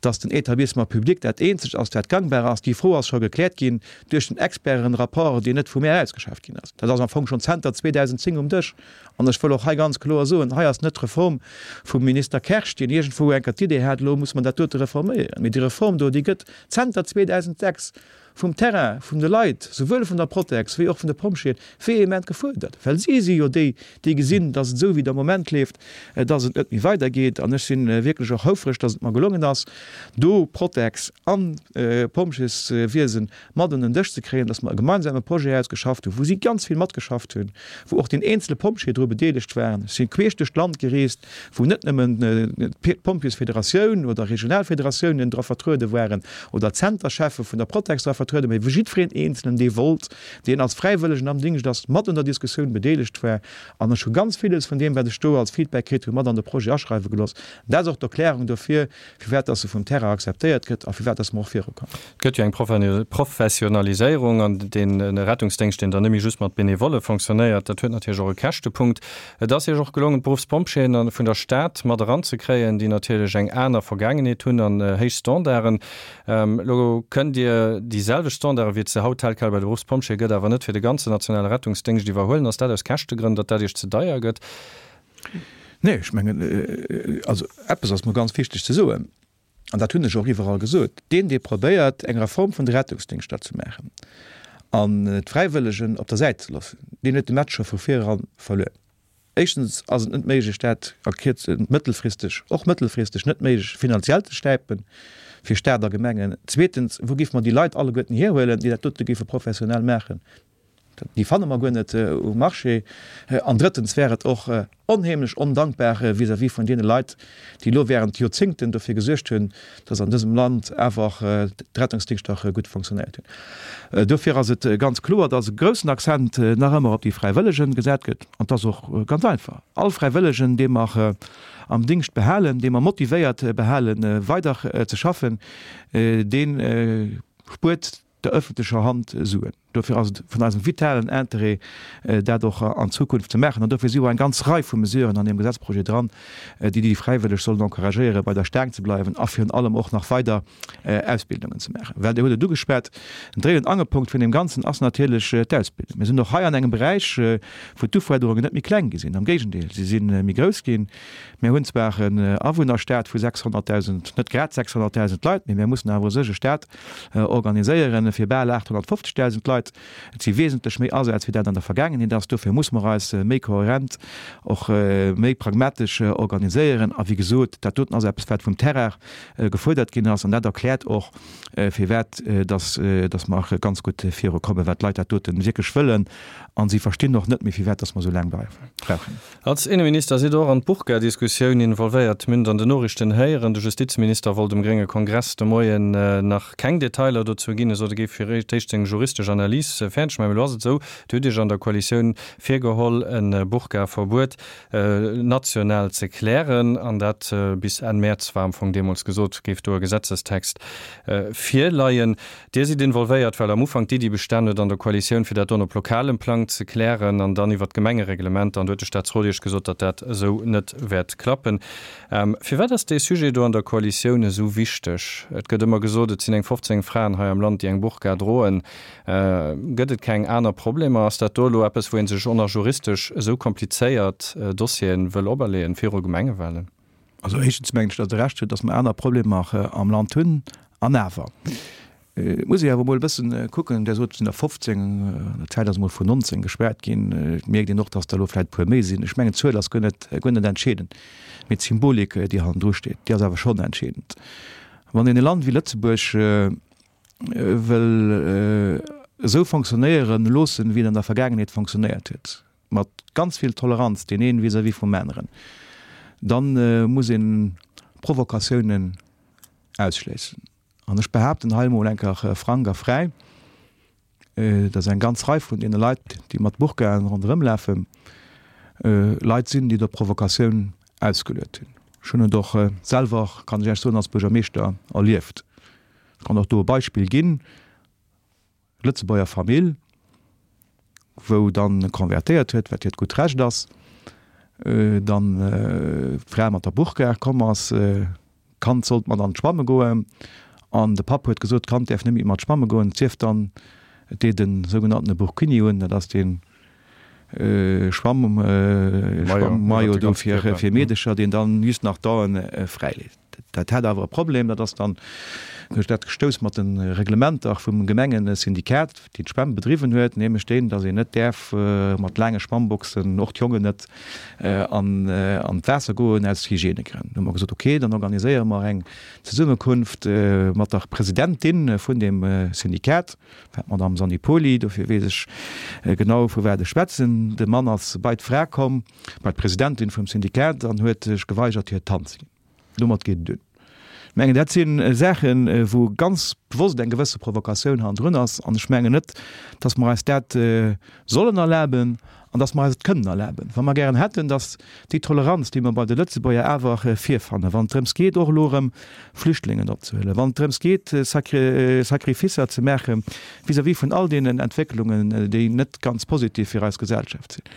Dass den Établissement public dat eenzegt ass, wat gangbar ass, déi Fro ass scho gekläert ginn duerch den Expertenrapport, deen net vu mär ausgeschafft ginn ass. Dat ass am Fong schonn zenter 2010 um Dësch. An ech wëll och hei ganz kloer soen, hei ass net d'Reform vum Minister Kersch, deen iergendwou eng Kéier d'Idee hat, elo muss mer dat dote reforméieren. Mee déi Reform do, déi gëtt zenter 2006 vum Terrain, vun de Leit, souwuel vun der Protex wéi och vun de Pompjeeën, vehement gefuerdert, well si si jo déi, déi gesinn, dass et esou wéi et am Moment leeft, dass et net méi weidergeet. An ech si wierklech och houfreg, dass et mer gelongen ass, do Protex an Pompjeeswiesen mat un den Dësch ze kréien, dass mer e gemeinsame Projet ausgeschafft hunn, wou si ganz vill matgeschafft hunn, wou och deen eenzele Pompjee dru bedeelegt waren. Ech si queesch duerch d'Land gereest, wou net nëmmen d'Pompjeesfederatioun oder Regionalfederatiounen dra vertruede waren oder d'Zentercheffe vun der Protex dra vertrueden, mä wou jiddwereen Eenzelen, dee wollt, deen als Fräiwëllegen am Dingscht ass, mat un der Diskussioun bedeelegt war. An ech hu ganz villes vun deem, wat ech do als Feedback kritt hunn, mat an de Projet aschreiwe gelooss. Dat ass och d'Erklärung dofir, firwat dass se vum Terrain akzeptéiert gëtt a firwat dass mer och virukommen. Et gëtt jo eng Professionaliséierung an dee Rettungsdéngscht, deen dann net méi just mat Benevolle fonctionnéiert, dat huet natierlech och e Käschtepunkt. Et ass Iech och gelongen, d'Beruffspompjeeën vun der Stad mat eranzekréien, déi natierlech eng aner Vergaangenheet hunn an héich Standarden. Elo kënnt Dir déi selwecht Standarde wéi et se haut tel quel bei de Beruffspompjeeë gëtt, awer net fir de ganzen nationale Rettungsdéngscht iwwerhuelen. Ass dat aus Käschtegrënn, datt dat Iech ze deier gëtt? Nee, ech mengen, also eppes ass mer ganz wichteg ze soen, an dat hunn ech och iwwerall gesot, Deen, dee probéiert, eng Reform vun de Rettungsdéngschter ze maachen an d'Fräiwëllegen op der Säit ze loossen, deen huet de Match scho vu vireran verluer. Éischtens ass et net méiglech, dat a Kierz-, mëttelfristeg, och mëttelfristeg net méiglech, finanziell ze stäipen fir Staat a Gemengen. Zweetens, wou géife mer déi Leit alleguerten hierhuelen, déi dat dote géife professionell maachen? Déi fanne mer guer net um Marché. An drëttens wär et och onheemlech ondankbar vis-à-vis vun deene Leit, déi elo während Joerzéngten dofir gesuergt hunn, dass an dësem Land awer d'Rettungsdingschter gutt fonctionnéiert hunn. Dofir ass et ganz kloer, dass e groussen Accent nach ëmmer op déi Fräiwëllegen gesat gëtt. An et ass och ganz einfach, All Fräiwëllegen, dee mer am Dingscht behalen, dee mer motivéiert behalen, weider ze schaffen, dee spuert der öffentlecher Hand Suen. Dofir ass et vun eisem vitalen Interêt, dat och an Zukunft ze maachen. An dofir si och eng ganz Rei vu Mesuren an deem Gesetzprojet dran, déi déi Fräiwëlleg sollen encouragéieren, bei der Staang ze bleiwen a virun allem och nach weider Ausbildungen ze maachen. Well Dir hutt et ugeschwat, den Dréi und Angelpunkt vun deem Ganzen ass natierlech d'Ausbildung. Mir sinn och hei an engem Beräich, wou d'Ufuerderungen net méi kleng gi sinn, am Géigendeel, si si méi grouss ginn. Mir hunn zwar en Awunnerstaat vu 600.000, net grad 600.000 Leit, mee mir mussen awer u sech e Staat organiséieren fir bal 850.000 Leit. Et si wesentlech méi Asätz, wéi dat an der Vergaangenheet ass. Dofir muss mer eis méi kohärent, och méi pragmatesch organiséieren. A wéi gesot, dat doten ass eppes, wat vum Terrain gefuerdert ginn ass. An dat erkläert och, firwat dass dass mer ganz gutt virukommen, well d'Leit dat dote wierklech wëllen. A si verstinn och net méi, firwat dass mer esou laang brauchen. Als Inneminister sidd Der och an d'Burka-Diskussioun involvéiert. Mir hunn et an den Noriichten héieren, de Justizminister wollt um grénge Kongress de Moien nach keng Detailer dozou ginn. E sot, e géif fir d'éischt seng juristesch Analys fäerdeg maachen. Mee elo ass et esou, Dir hutt Iech an der Koalitioun virgeholl, e Burka-Verbuet national ze klären. An dat bis Enn Mäerz war am Fong deemools gesot, géif do e Gesetzestext virleien. Dir sidd involvéiert, well am Ufank d'Iddi bestan huet an der Koalitioun, fir dat don op lokalem Plang ze klären an dann iwwert d'Gemengereglementer. An do huet de Staatsrot Iech gesot, datt dat esou net wäert klappen. Firwat ass dee Sujet do an der Koalitioun esou wichteg? Et gëtt ëmmer gesot, et sinn eng 15 Fraen hei am Land, déi eng Burka droen. Gëtt et keng aner Problemer? Ass dat do elo eppes, wou ee sech och nach juristesch esou komplizéiert Dossiere wëll operleeën viru Gemengewahlen? Also éischtens mengen ech, datt Der Recht hutt, datt mer aner Problemer am Land hunn. An awer muss ee awer emol e bëssen kucken, Der sot, et sinn der 15, an der Zäit ass emol vun 19 geschwat ginn. Et mierkt een och, datt der elo vläicht e puer méi sinn. Ech mengen, d'Zuel ass guer net, guer net entscheedend, mee d'Symbolik, déi hannendru steet, déi ass awer schonn entscheedend. Wann een e Land wéi Lëtzebuerg wëll esou fonctionnéieren loossen, wéi et an der Vergaangenheet fonctionnéiert huet, mat ganz vill Toleranz deen een vis-à-vis vum aneren, dann muss een Provokatiounen ausschléissen. An ech behaapten hei emol eng Kéier frank a fräi, dass eng ganz Rei vun deene Leit, déi mat Burkaen ronderëm lafen, Leit sinn, déi der Provokatioun ausgeluet hunn. Ech hunn et och selwer, kann ech Iech soen, als Buergermeeschter erlieft. Ech kann och do e Beispill ginn. Lëtzebuerger Famill, wou dann konvertéiert huet, wat hiert gutt Recht ass, dann d'Fra mat der Burka komm ass, d'Kand sollt mat an d'Schwamme goen an de Papp huet gesot, d'Kand däerf net méi mat schwamme goen, et sief dann, et deet e sougenanntene Burkini un, dat ass dee Schwamm-Maillot do fir Meedecher, deen dann just nach d'Aen fräileet. Dat hat awer e Problem, dat ass dann duerch dat gestouss mat de Reglementer vum Gemengesyndikat, deen d'Schwämm bedriwwen huet, nämlech deen, datt een net däerf mat laange Schwammboxen, och d'Jongen net, an d'Waasser goen aus Hygiènegrënn. Du hu mer gesot, ok, dann organiséiere mer eng Zesummekunft mat der Presidentin vun deem Syndikat, war d'Madame Sannipoli, dofir weess ech genau, vu wat ech schwätzen. De Mann ass bei d'Fra komm, bei d'Presidentin vum Syndikat an huet sech geweigert, hir d'Hand ze ginn. Domat geet et duer. Ech mengen, dat si Saachen, wou ganz bewosst eng gewësse Provokatioun hannendrun ass. An ech mengen net, datt mer eis dat sollen erlaben an datt mer eis et kënnen erlaben. Wa mer gären hätten, datt déi Toleranz, déi mer bei de Lëtzebuerger awer virfannen, wann et drëms geet, och elo erëm Flüchtlingen opzehuelen, wann et drëms geet, Sacrificer ze maache vis-à-vis vun all deenen Entwécklungen, déi net ganz positiv fir eis Gesellschaft sinn,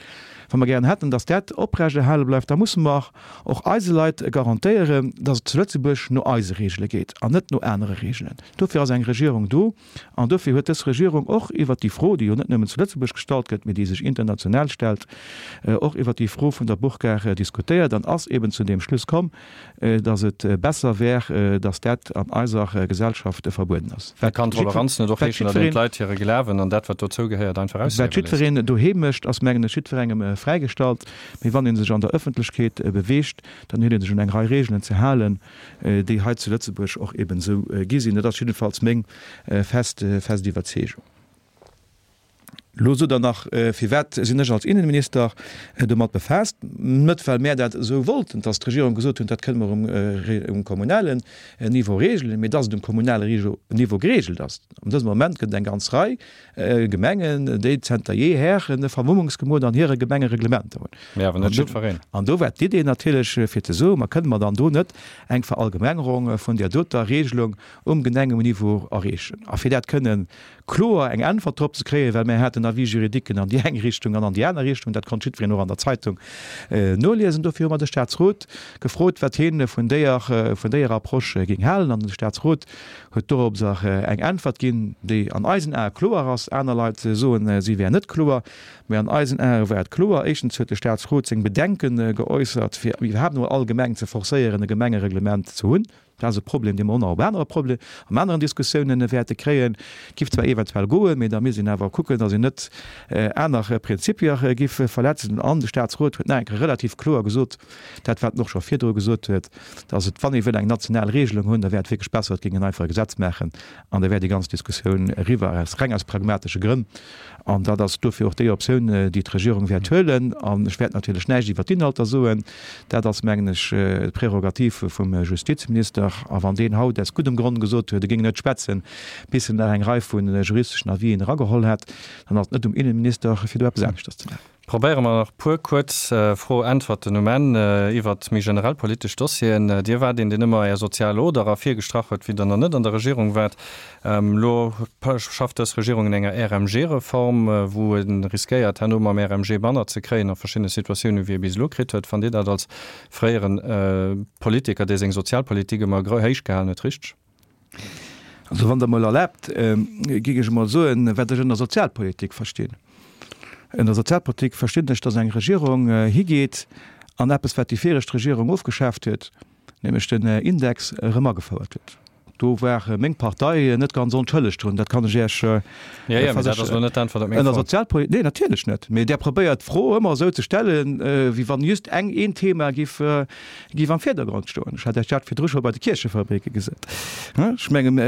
wa mer gären hätten, datt dat oprechterhale bleift, da musse mer och eise Leit garantéieren, datt et zu Lëtzebuerg no eise Regele geet an net no anere Regelen. Dofir ass eng Regierung do an dofir huet dës Regierung och iwwert déi Fro, déi jo net nëmmen zu Lëtzebuerg gestallt gëtt, mee déi sech international stellt, och iwwert déi Fro vun der Burka diskutéiert an ass eben zu deem Schluss komm, datt et besser wär, datt dat an eiser Gesellschaft verbueden ass. Wat Kann Toleranz net och heeschen, datt een d'Leit hire Glawen an dat, wat dozou gehéiert, einfach ausliewe léisst? Wat jiddwereen doheem mécht, ass, mengen ech, jiddwerengem fräigestallt. Mee wann ee sech an der Ëffentlechkeet beweegt, dann huet ee sech un eng Rei Reegelen ze halen, déi hei zu Lëtzebuerg och eben esou gi sinn. Dat ass jiddefalls meng fest, fest Iwwerzeegung. Elo sot Der nach, Firwat sinn ech als Innenminister domat befaasst? Net well mär dat esou wollten, dass d'Regierung gesot huet, dat kënne mer um kommunalen Niveau regelen, mee dass et um kommunale Niveau geregelt ass. An dësem Moment gëtt et eng ganz Rei Gemengen, déi zenter jeher e Vermummungsgebot an hire Gemengereglementer hunn. Mee awer net jiddwereen. An do war d'Idee natierlech fir ze soen, Ma kënne mer dann do net eng Verallgemengerung vun där doter Regelung um Gemengenniveau erreechen? A fir dat kënnen kloer eng Äntwert drop ze kréien, well mir haten Avis juridiquen an déi eng Richtung an an déi aner Richtung, dat konnt jiddwereen och an der Zeitung noliesen. Dofir hu mer de Statsrot gefrot, wat hie vun déier, vun déier Approche géing halen. An de Statsrot huet doropser eng Äntwert ginn, déi an eisen Ae kloer ass. Aner Leit soen, si wär net kloer, mä an eisen Ae war et kloer. Éischtens huet de Statsrot seng Bedenke geäussert, fir iwwerhaapt emol all Gemeng ze forcéieren, e Gemengereglement ze hunn. Dat ass e Problem, dee mer och nach op anere Proble an aneren Diskussiounen wäerte kréien. Et giff zwar eventuell goen, mee da misst een awer kucken, datt een net aner Prinzipier giff verletzen. An de Statsrot huet nach eng Kéier relativ kloer gesot, dat wat en och scho virdru gesot huet, datt et, wann ee wëll eng national Regelung hunn, da wär et wierklech besser, et géing een einfach e Gesetz maachen an da wär déi ganz Diskussioun eriwwer, aus reng aus pragmatesche Grënn. An dat ass dofir och déi Optioun, déi d'Regierung wäert huelen. An ech wäert natierlech näischt iwwert d'Inhalter soen. Dat ass, mengen ech, d'Prerogativ vum Justizminister. A wann deen haut aus guddem Grond gesot huet, e géing net schwätzen, bis en nach eng Rei vu juristeschen Avisen erageholl hätt, dann ass et net um Innenminister, fir do eppes aneschters ze maachen. Probéiere mer nach puer kuerz Fro-Äntwerten um Enn iwwert méi generell politesch Dossieren. Dir waart een, deen ëmmer Är sozial Oder ervirgestrach huet, wéi Der nach net an der Regierung waart. Elo schafft dës Regierung un enger RMG-Reform, wou e riskéiert, herno mam RMG manner ze kréien a verschiddene Situatiounen, wéi e bis elo kritt huet. Fannt Dir dat als fréiere Politiker, dee seng Sozialpolitik ëmmer héich gehalen huet, richteg? Also wann Der emol erlaabt, géing ech emol soen, wat ech ënner Sozialpolitik verstinn. Ënner Sozialpolitik verstinn ech, datt eng Regierung higeet an eppes, wat déi viregt Regierung ofgeschaaft huet, nämlech den Index, erëm agefouert huet. Do war meng Partei net ganz onschëlleg drun, dat kann ech Iech versécheren. Ënner Sozialpolitik, nee natierlech net, mee Der probéiert d'Fro ëmmer esou ze stellen, wéi wann just eng, een Thema giff Géif am Virdergrond stoen. Ech hat Iech dat virdru scho bei de Kierchefabrike gesot. Ech mengen,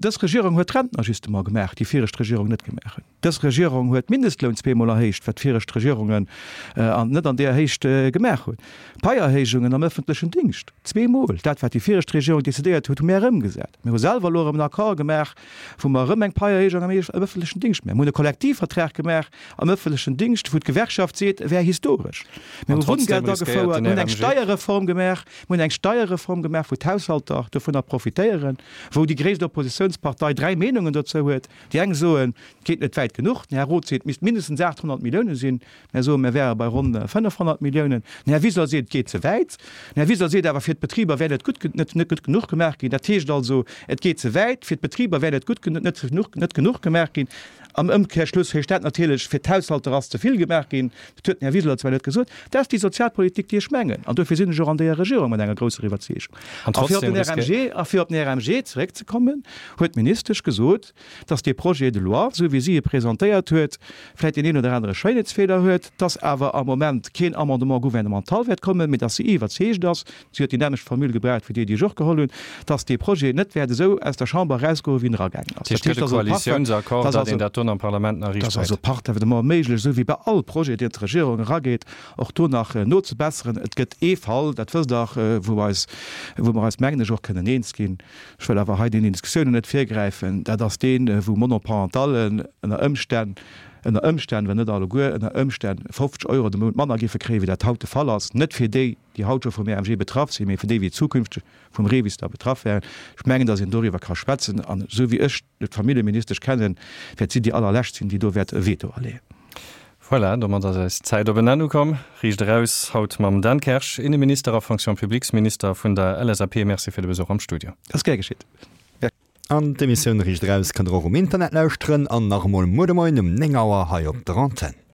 dës Regierung huet d'Rentenajustement gemaach, déi viregt Regierung net gemaach huet. Dës Regierung huet d'Mindestloun zweemol erhéicht, wat viregt Regierungen net an deeër Héicht gemaach hunn. D'Paierhéijungen am ëffentlechen Dingscht, zweemol. Dat, wat déi viregt Regierung decidéiert huet, hu mir erëmgesat. Mir hu selwer elo erëm en Accord gemaach, wou mer erëm eng Paierhéijung am ëffentlechen Dingscht maachen. Mir hunn e Kollektivvertrag gemaach am ëffentlechen Dingscht, wou d'Gewerkschaft seet, e wär historesch. Mir hu Wunngeld agefouert, mir hunn eng Steierreform gemaach, mir hunn eng Steierreform gemaach, wou d'Haushalter dovunner profitéieren, wou déi gréisst Oppositiounspartei dräi Meenungen dozou huet. Déi eng soen, et geet net wäit genuch, den Här Roth seet, et misst mindestens 800 Millioune sinn. Mär soen, mär wäre bei ronn 500 Milliounen. Den Här Wiseler seet, et geet ze wäit. Den Här Wiseler seet awer, fir d'Betriber wär net gutt, net, net gutt genuch gemaach ginn. Dat heescht also, et geet ze wäit, fir d'Betriber wär net gutt, net genuch, net genuch gemaach ginn. Am Ëmkehrschluss heescht dat natierlech, fir d'Haushalter ass ze vill gemaach ginn. Dat huet den Här Wiseler zwar net gesot. Dat ass déi Sozialpolitik, déi ech mengen. An dofir sinn ech och an deeër Regierung mat enger grousser Iwwerzeegung. A fir op den RMG, a fir op den RMG zeréckzekommen, huet d'Ministesch gesot, dass dee Projet de loi, esou wéi si e presentéiert huet, vläicht deen een oder anere Schéinheetsfeeler huet, dass awer am Moment keen Amendement gouvernemental wäert kommen, mee dass si iwwerzeegt ass, si huet déi nämmlecht Formule gebraucht wéi déi, déi ech och geholl hunn, dass dee Projet net wäert esou aus der Chamber erausgoen, wéi en eragaangen ass. Dat heescht, et gëtt e Koalitiounsaccord, datt een dat do am Parlament nach riicht kréit. Dat ass also parfaitement méiglech, esou wéi bei all Projet, deen d'Regierung erageet, och do nach nozebesseren. Et gëtt ee Fall, dat wësst Der, wou eis, wou mer eis, mengen ech, och kënnen eens ginn, Ech wëll awer hei deenen Diskussiounen net virgräifen. Dat ass deen, wou Monoparentallen ënner Ëmstänn, ënner Ëmstänn, well net alleguer, ënner Ëmstänn 50 Euro de Mount manner géife kréien, wéi dat haut de Fall ass. Net fir déi, déi haut scho vum RMG betraff sinn, mee fir déi, déi zukünfteg vum REVIS da betraff wären. Ech mengen, datt een doriwwer ka schwätzen. An esou wéi ech d'Familljeministesch kennen, wäert si déi allerlescht sinn, déi do wäert e Veto aleeën. Voilà, domat ass eis Zäit op en Enn ukomm. Riicht eraus haut mam Dan Kersch, Inneminister a Fonction publiques-Minister vun der LSAP. Merci fir de Besuch am Studio. Ass gär geschitt. Merci. An d'Emissioun Riicht eraus kënnt der och um Internet lauschteren an nach emol muer de Moien um 9 Auer hei op der Antenn.